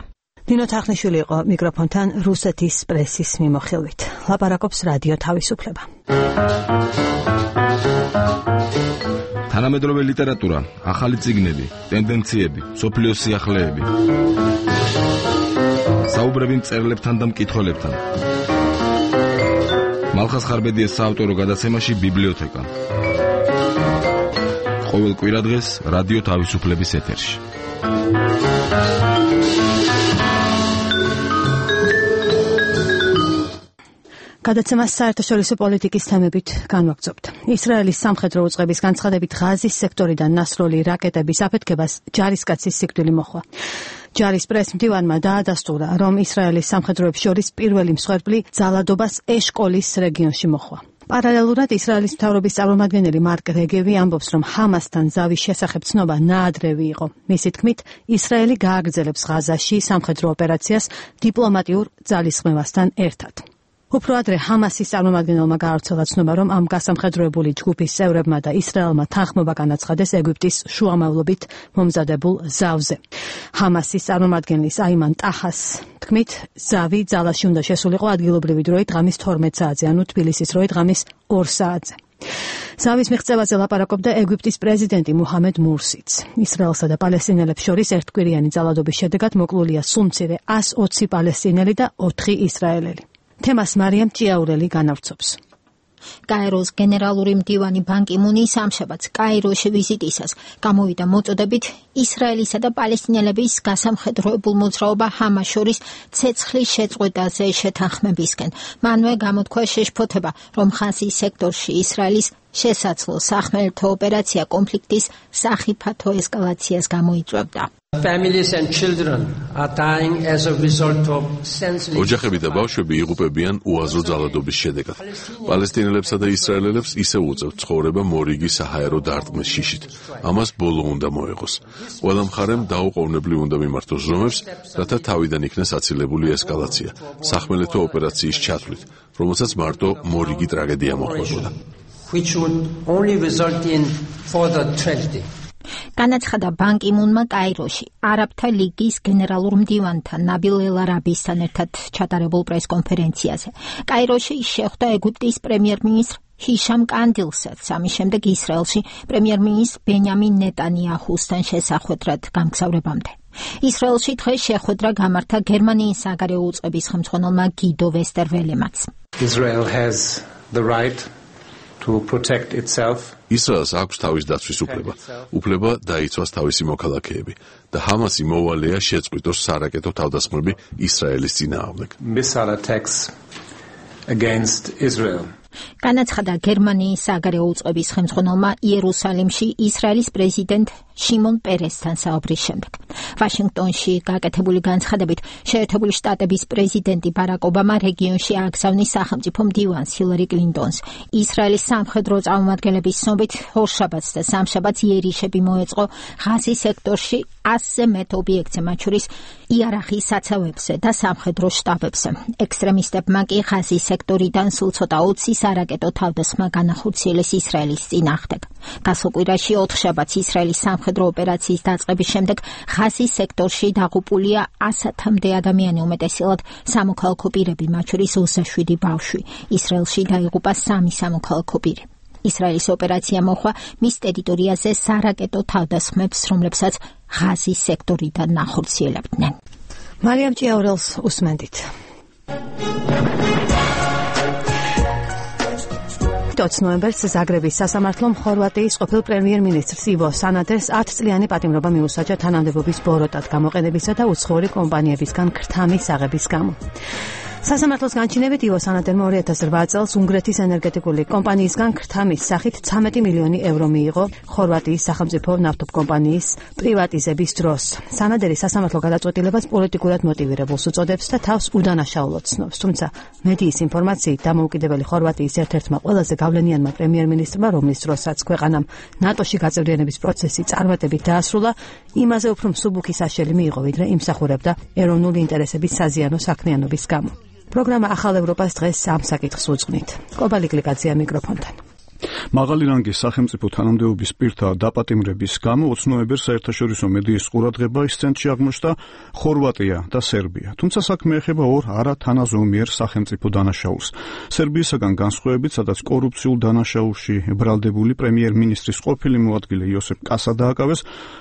ნინო თახნიშვილი იყო მიკროფონთან რუსეთის პრესის მიმოხილვით. ლაპარაკობს რადიო თავისუფლება. თანამედროვე ლიტერატურა, ახალი წიგნები, ტენდენციები, სოფლიოს სიახლეები. საუბრები მწერლებთან და მკითხველებთან. მალხას ხარბედიას საავტორო გადაცემაში ბიბლიოთეკა. ყოველ კვირადღეს რადიო თავისუფლების ეთერში. გადაცემას საერთაშორისო პოლიტიკის თემებით განვაგრძობთ. ისრაელის სამხედრო უწყების განცხადებით ღაზის სექტორიდან ნასროლი რაკეტების აფეთქებას ჯარისკაცის სიკვდილი მოჰყვა. ჯარის პრესმდივანმა დაადასტურა, რომ ისრაელის სამხედროებს შორის პირველი მსხვერპლი ძალადობას ეშკოლის რეგიონში მოჰყვა. პარალელურად ისრაელის მთავრობის წარმომადგენელი მარკ რეგევი ამბობს, რომ ჰამასთან ზავის შესახებ ცნობა ნაადრევი იყო. მისი თქმით, ისრაელი გააგრძელებს ღაზაში სამხედრო ოპერაციას დიპლომატიურ ძალისხმევასთან ერთად. უფრო ადრე ჰამასის წარმომადგენელმა გაავრცელა ცნობა, რომ ამ გასამხედროებული ჯგუფის წევრებმა და ისრაელმა თანხმობა განაცხადეს ეგვიპტის შუამავლობით მომზადებულ ზავზე. ჰამასის წარმომადგენლის აიმან ტაჰას თქმით, ზავი ძალაში უნდა შესულიყო ადგილობრივი დროით ღამის 12 საათზე, ანუ თბილისის დროით ღამის 2 საათზე. ზავის მიღწევაზე ლაპარაკობდა ეგვიპტის პრეზიდენტი მუჰამედ მურსიც. ისრაელსა და პალესტინელებს შორის ერთკვირიანი ძალადობის შედეგად მოკლულია სულ მცირე 120 პალესტინელი და 4 ისრაელელი. თემას მარიამ ჭიაურელი განავრცობს. კაიროს გენერალური მდივანი ბან კი მუნი სამშაბათს კაიროში ვიზიტისას გამოვიდა მოწოდებით ისრაელისა და პალესტინელების გასამხედროებულ მოძრაობა ჰამას შორის ცეცხლის შეწყვეტაზე შეთანხმებისკენ. მანვე გამოთქვა შეშფოთება, რომ ღაზის სექტორში ისრაელის შესაძლო სახმელეთო ოპერაცია კონფლიქტის სახიფათო ესკალაციას გამოიწვევდა. Families and children are dying as a result of senseless. ოჯახები და ბავშვები იღუპებიან უაზრო ძალადობის შედეგად. პალესტინელებსა და ისრაელელებს ისევ უწევთ ცხოვრება მორიგი საჰაერო დარტყმის შიშით. ამას ბოლო უნდა მოეღოს. ყველა მხარემ დაუყოვნებლივ უნდა მიმართოს ზომებს, რათა თავიდან იქნეს აცილებული ესკალაცია, სახმელეთო ოპერაციის ჩათვლით, რომელსაც მარტო მორიგი ტრაგედია მოჰყვებოდა. Which would only result in further tragedy. განაცხადა ბან კი მუნმა კაიროში არაბთა ლიგის გენერალურ მდივანთან ნაბილ ელ-არაბისთან ერთად ჩატარებულ პრესკონფერენციაზე. კაიროში შეხვდა ეგვიპტის პრემიერ-მინისტრ ჰიშამ კანდილსაც, ამის შემდეგ ისრაელში პრემიერ-მინისტრ ბენიამინ ნეტანიაჰუსთან შესახვედრად გამგზავრებამდე. ისრაელში დღეს შეხვედრა გამართა გერმანიის საგარეო უწყების ხელმძღვანელმა გიდო ვესტერველემაც. Israel has the right to protect itself. ისრაელს აქვს თავის დაცვის უფლება დაიცვას თავისი მოქალაქეები და ჰამასი მოვალეა შეწყვიტოს სარაკეტო თავდასხმები ისრაელის წინააღმდეგ. Missile attacks against Israel. განაცხადა გერმანიის საგარეო უწყების ხელმძღვანელმა იერუსალიმში ისრაელის პრეზიდენტ შიმონ პერესთან საუბრის შემდეგ. ვაშინგტონში გაკეთებული განცხადებით შეერთებული შტატების პრეზიდენტი ბარაკ ობამა რეგიონში ააგზავნის სახელმწიფო მდივანს ჰილარი კლინტონს. ისრაელის სამხედრო წარმომადგენლების ცნობით ორშაბათს და სამშაბათს იერიშები მოეწყო ღაზის სექტორში 100-ზე მეტ ობიექტზე, მათ შორის იარახის საცავებზე და სამხედრო შტაბებზე. ექსტრემისტებმა კი ღაზის სექტორიდან სულ ცოტა 20 სარაკეტო თავდასხმა განახორციელეს ისრაელის წინააღმდეგ. გასულ კვირაში 4 შაბათს ისრაელის სამხედრო ოპერაციის დაწყების შემდეგ ღაზის სექტორში დაღუპულია 100-მდე ადამიანი, უმეტესად სამოქალაქო პირები, მათ შორის 27 ბავშვი. ისრაელში დაიღუპა 3 სამოქალაქო პირი. ისრაელის ოპერაცია მოხდა მის ტერიტორიაზე სარაკეტო თავდასხმებს, რომლებსაც ღაზის სექტორიდან ნახორციელებდნენ. მარიამ ჭიაურელს უსმენდით. 20 ნოემბერს ზაგრების სასამართლომ ხორვატიის ყოფილ პრემიერ-მინისტრს ივო სანადეს 10 წლიანი პატიმრობა მიუსაჯა თანამდებობის ბოროტად გამოყენებისა და უცხოური კომპანიებისგან ქრთამის აღების გამო. სასამართლოს განჩინებით ივო სანადერმა 2008 წელს უნგრეთის ენერგეტიკული კომპანიისგან ქრთამის სახით 13 მილიონი ევრო მიიღო ხორვატიის სახელმწიფო ნავთობკომპანიის პრივატიზების დროს. სანადერი სასამართლო გადაწყვეტილებას პოლიტიკურად მოტივირებულს უწოდებს და თავს უდანაშაულოდ ცნობს. თუმცა მედიის ინფორმაციით დამოუკიდებელი ხორვატიის ერთ-ერთმა ყველაზე გავლენიანმა პრემიერ-მინისტრმა, რომლის დროსაც ქვეყანამ ნატოში გაწევრიანების პროცესი წარმატებით დაასრულა, იმაზე უფრო მსუბუქი საშელი მიიღო, ვიდრე იმსახურებდა ეროვნული ინტერესების საზიანო საქმიანობის გამო. პროგრამა ახალ ევროპას დღეს ამ საკითხს უძღვნით. კობალი კლიკაცია მიკროფონთან. მაღალი რანგის სახელმწიფო თანამდებობის პირთა დაპატიმრების გამო 20 ნოემბერს საერთაშორისო მედიის ყურადღება ცენტრში აღმოჩნდა ხორვატია და სერბია. თუმცა საქმე ეხება ორ არათანაზომიერ სახელმწიფო დანაშაულს. სერბიისაგან განსხვავებით, სადაც კორუფციულ დანაშაულში ბრალდებული პრემიერ-მინისტრის ყოფილი მოადგილე იოსებ კასა დააკავეს,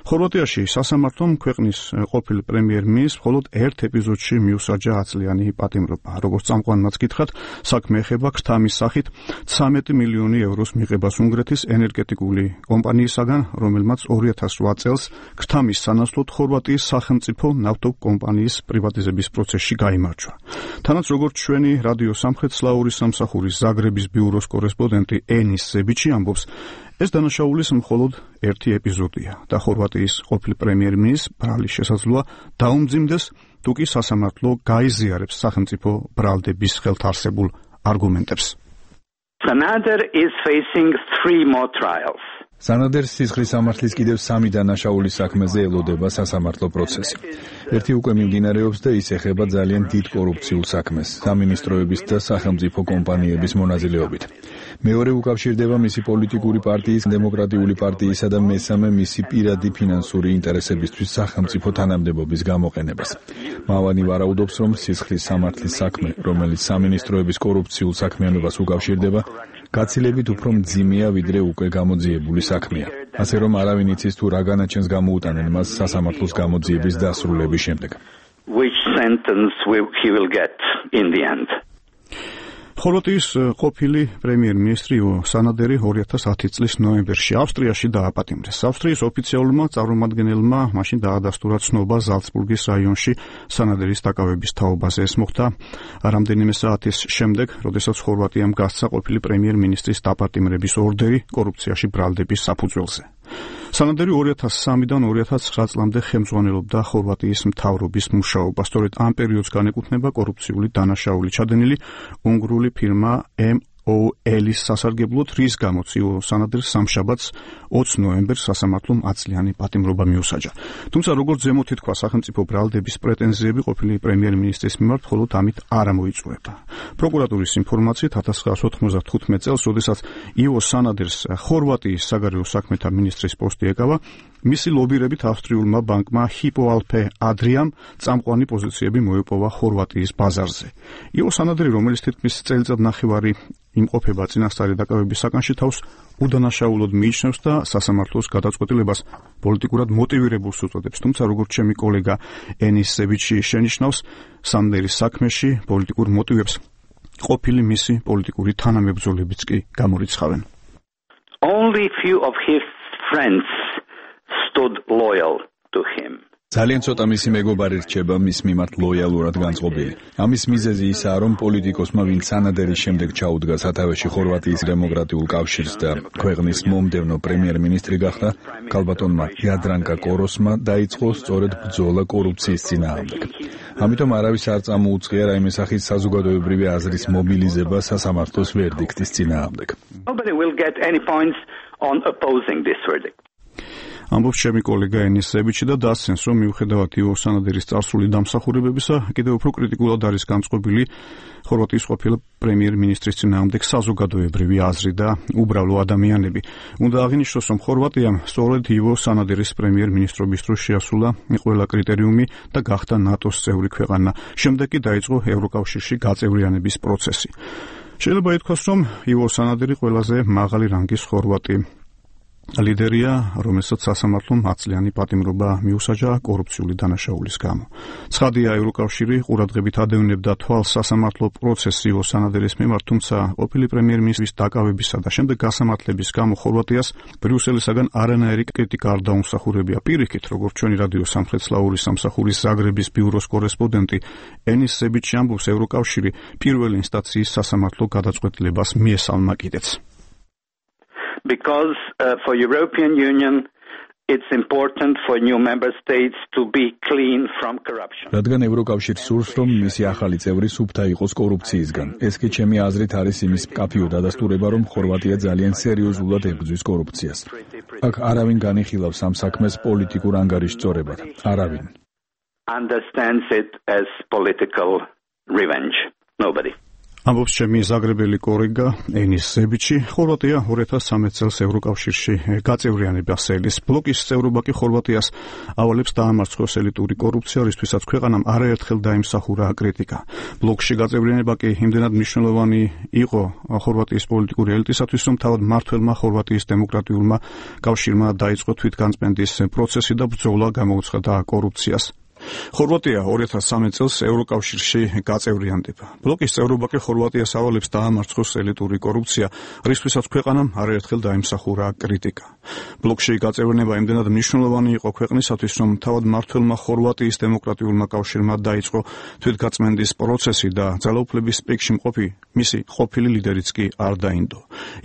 ხორვატიაში სასამართლომ ქვეყნის ყოფილი პრემიერ-მინისტრს მხოლოდ ერთ ეპიზოდში მიუსაჯა 10 წლიანი პატიმრობა. როგორც წამყვანმაც გითხრათ, საქმე ეხება ქრთამის სახით 13 მილიონი ევროს მიღებას უნგრეთის ენერგეტიკული კომპანიისაგან, რომელმაც 2008 წელს ქრთამის სანაცვლოდ ხორვატიის სახელმწიფო ნავთობკომპანიის პრივატიზების პროცესში გაიმარჯვა. თანაც როგორც ჩვენი რადიო სამხრეთ-სლავური სამსახურის ზაგრების ბიუროს კორესპონდენტი ენის ზებიჩი ამბობს, ეს დანაშაულის მხოლოდ ერთი ეპიზოდია და ხორვატიის ყოფილი პრემიერ-მინისტრს ბრალის შესაძლოა დაუმძიმდეს, თუ კი სასამართლო გაიზიარებს სახელმწიფო ბრალდების ხელთარსებულ არგუმენტებს. Sanader is facing 3 more trials. სანადერს სისხლის სამართლის კიდევ 3 დანაშაულის საქმეზე ელოდება სასამართლო პროცესი. ერთი უკვე მიმდინარეობს და ის ეხება ძალიან დიდ კორუფციულ საქმეს, სამინისტროების და სახელმწიფო კომპანიების მონაწილეობით. მეორე უკავშირდება მისი პოლიტიკური პარტიის, დემოკრატიული პარტიისა და მესამე მისი პირადი ფინანსური ინტერესებისთვის სახელმწიფო თანამდებობის გამოყენებას. მავანი ვარაუდობს, რომ სისხლის სამართლის საქმე, რომელიც სამინისტროების კორუფციულ საქმიანობას უკავშირდება, გაცილებით უფრო მძიმეა, ვიდრე უკვე გამოძიებული საქმეა. ასე რომ არავინ იცის თუ რა განაჩენს გამოუტანენ მას სასამართლოს გამოძიების დასრულების შემდეგ. Which sentence he will get in the end. ხორვატიის ყოფილი პრემიერ-მინისტრი სანადერი 2010 წლის ნოემბერში ავსტრიაში დააპატიმრეს. ავსტრიის ოფიციალურმა წარმომადგენელმა მაშინ დაადასტურა ცნობა ზალცბურგის რაიონში სანადერის დაკავების თაობაზე. ეს მოხდა რამდენიმე საათის შემდეგ, როდესაც ხორვატიამ გასცა ყოფილი პრემიერ-მინისტრის დაპატიმრების ორდერი კორუფციაში ბრალდების საფუძველზე. სანადერი 2003-დან 2009 წლამდე ხელმძღვანელობდა ხორვატიის მთავრობის მუშაობას. სწორედ ამ პერიოდს განეკუთვნება კორუფციული დანაშაული ჩადენილი უნგრული ფირმა MOL-ის სასარგებლოდ, რის გამოც ივო სანადერს სამშაბათს 20 ნოემბერს სასამართლომ 10 წლიანი პატიმრობა მიუსაჯა. თუმცა როგორც ზემოთ ითქვა, სახელმწიფო ბრალდების პრეტენზიები ყოფილი პრემიერ-მინისტრის მიმართ მხოლოდ ამით არ ამოიწურებდა. პროკურატურის ინფორმაციით 1995 წელს, როდესაც ივო სანადერს ხორვატიის საგარეო საქმეთა მინისტრის პოსტი ეკავა, მისი ლობირებით ავსტრიულმა ბანკმა Hypo Alpe Adriam წამყვანი პოზიციები მოეპოვა ხორვატიის ბაზარზე. ივო სანადერი, რომელიც თითქმის წელიწად ნახევარი იმყოფება წინასწარი დაკავების საკანში, თავს უდანაშაულოდ მიიჩნევს და სასამართლოს გადაწყვეტილებას პოლიტიკურად მოტივირებულს უწოდებს. თუმცა როგორც ჩემი კოლეგა ენის ზებიჩი შენიშნავს, სანადერის საქმეში პოლიტიკურ მოტივებს ყოფილი მისი პოლიტიკური თანამებრძოლებიც კი გამორიცხავენ. Only few of his friends stood loyal to him. ძალიან ცოტა მისი მეგობარი რჩება მის მიმართ ლოიალურად განწყობილი. ამის მიზეზი ისაა, რომ პოლიტიკოსმა, ვინც სანადერის შემდეგ ჩაუდგა სათავეში ხორვატიის დემოკრატიულ კავშირს და ქვეყნის მომდევნო პრემიერ-მინისტრი გახდა, ქალბატონმა იადრანკა კოროსმა დაიწყო სწორედ ბრძოლა კორუფციის წინააღმდეგ. ამიტომ არავის არ წამოუწყია რაიმე სახის საზოგადოებრივი აზრის მობილიზება სასამართლოს ვერდიქტის წინააღმდეგ. Nobody will get any points on opposing this verdict. ამბობს ჩემი კოლეგა ენის ზებიჩი და დასცენს, რომ მიუხედავად ივო სანადერის წარსული დამსახურებებისა, კიდევ უფრო კრიტიკულად არის განწყობილი ხორვატიის ყოფილი პრემიერ-მინისტრის წინააღმდეგ საზოგადოებრივი აზრი და უბრალო ადამიანები. უნდა აღინიშნოს, რომ ხორვატიამ სწორედ ივო სანადერის პრემიერ-მინისტრობის დროს შეასრულა ყველა კრიტერიუმი და გახდა ნატოს წევრი ქვეყანა. შემდეგ კი დაიწყო ევროკავშირში გაწევრიანების პროცესი. შეიძლება ითქვას, რომ ივო სანადერი ყველაზე მაღალი რანგის ხორვატი ლიდერია, რომელსაც სასამართლომ 10-წლიანი პატიმრობა მიუსაჯა კორუფციული დანაშაულის გამო. ცხადია, ევროკავშირი ყურადღებით ადევნებდა თვალს სასამართლო პროცესს ივო სანადერის მიმართ, თუმცა ყოფილი პრემიერ-მინისტრის დაკავებისა და შემდეგ გასამართლების გამო ხორვატიას ბრიუსელისაგან არანაირი კრიტიკა არ დაუმსახურებია. პირიქით, როგორც ჩვენი რადიო სამხრეთ-სლავური სამსახურის ზაგრების ბიუროს კორესპონდენტი ენის სებიჩი ამბობს, ევროკავშირი პირველი ინსტანციის სასამართლო გადაწყვეტილებას მიესალმა კიდეც. Because for European Union it's important for new member states to be clean from corruption. რადგან ევროკავშირს სურს, რომ მისი ახალი წევრი სუფთა იყოს კორუფციისგან. ეს კი ჩემი აზრით არის იმის მკაფიო დადასტურება, რომ ხორვატია ძალიან სერიოზულად ებრძვის კორუფციას. აქ არავინ განიხილავს ამ საქმეს პოლიტიკურ ანგარიშწორებად. არავინ. Understands it as political revenge. Nobody. ამბობს ჩემი ზაგრებელი კოლეგა ენის სებიჩი. ხორვატია 2013 წელს ევროკავშირში გაწევრიანებას ელის. ბლოკის წევრობა კი ხორვატიას ავალებს დაამარცხოს ელიტური კორუფცია, რისთვისაც ქვეყანამ არაერთხელ დაიმსახურა კრიტიკა. ბლოკში გაწევრიანება კი იმდენად მნიშვნელოვანი იყო ხორვატიის პოლიტიკური ელიტისათვის, რომ თავად მმართველმა ხორვატიის დემოკრატიულმა კავშირმა დაიწყო თვითგანწმენდის პროცესი და ბრძოლა გამოუცხადა კორუფციას. ხორვატია 2013 წელს ევროკავშირში გაწევრიანდება. ბლოკის წევრობა კი ხორვატიას ავალებს დაამარცხოს ელიტური კორუფცია, რისთვისაც ქვეყანამ არაერთხელ დაიმსახურა კრიტიკა. ბლოკში გაწევრიანება იმდენად მნიშვნელოვანი იყო ქვეყნისათვის, რომ თავად მმართველმა ხორვატიის დემოკრატიულმა კავშირმა დაიწყო თვითგაწმენდის პროცესი და ძალაუფლების პიკში მყოფი მისი ყოფილი ლიდერიც კი არ დაინდო.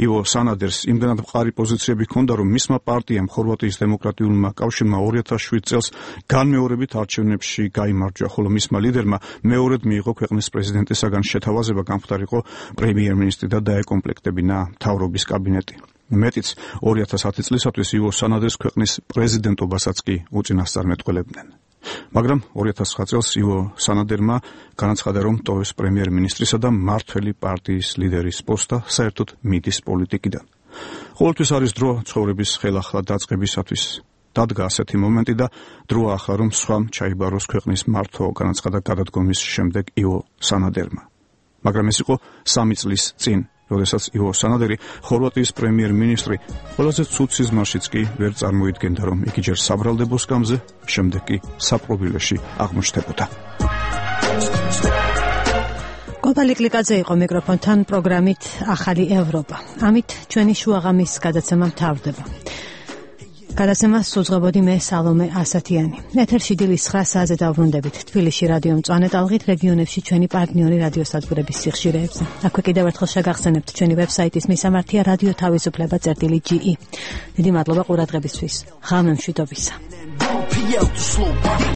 ივო სანადერს იმდენად მყარი პოზიციები ჰქონდა, რომ მისმა პარტიამ ხორვატიის დემოკრატიულმა კავშირმა 2007 წელს განმეორებით არჩევნებში გაიმარჯვა, ხოლო მისმა ლიდერმა მეორედ მიიღო ქვეყნის პრეზიდენტისაგან შეთავაზება გამხდარიყო პრემიერ-მინისტრი და დაეკომპლექტებინა მთავრობის კაბინეტი. მეტიც 2010 წლისათვის ივო სანადერს ქვეყნის პრეზიდენტობასაც კი უწინასწარმეტყველებდნენ. მაგრამ 2009 წელს ივო სანადერმა განაცხადა, რომ ტოვებს პრემიერ-მინისტრისა და მმართველი პარტიის ლიდერის პოსტა, საერთოდ მიდის პოლიტიკიდან. ყოველთვის არის დრო ცხოვრების ხელახლა დაწყებისათვის. დადგა ასეთი მომენტი და დროა ახლა, რომ სხვამ ჩაიბაროს ქვეყნის მართვა, განაცხადა გადადგომის შემდეგ ივო სანადერმა. მაგრამ ეს იყო 3 წლის წინ, როდესაც ივო სანადერი, ხორვატიის პრემიერ-მინისტრი, ყველაზე ცუდ სიზმარშიც კი ვერ წარმოიდგენდა, რომ იგი ჯერ საბრალდებო სკამზე, შემდეგ კი საპყრობილეში აღმოჩნდებოდა. კოპალი კლიკაძე იყო მიკროფონთან პროგრამით ახალი ევროპა. ამით ჩვენი შუაღამის გადაცემა მთავრდება. გადაცემას უძღვებოდი მე სალომე ასათიანი. ეთერში დილის 9 საათზე დავბრუნდებით თბილისში რადიო მწვანე ტალღით, რეგიონებში ჩვენი პარტნიორი რადიოსადგურების სიხშირეებზე. აქვე კიდევ ერთხელ შეგახსენებთ ჩვენი ვებსაიტის მისამართია რადიო თავისუფლება.ge. დიდი მადლობა ყურადღებისთვის. ღამე მშვიდობისა.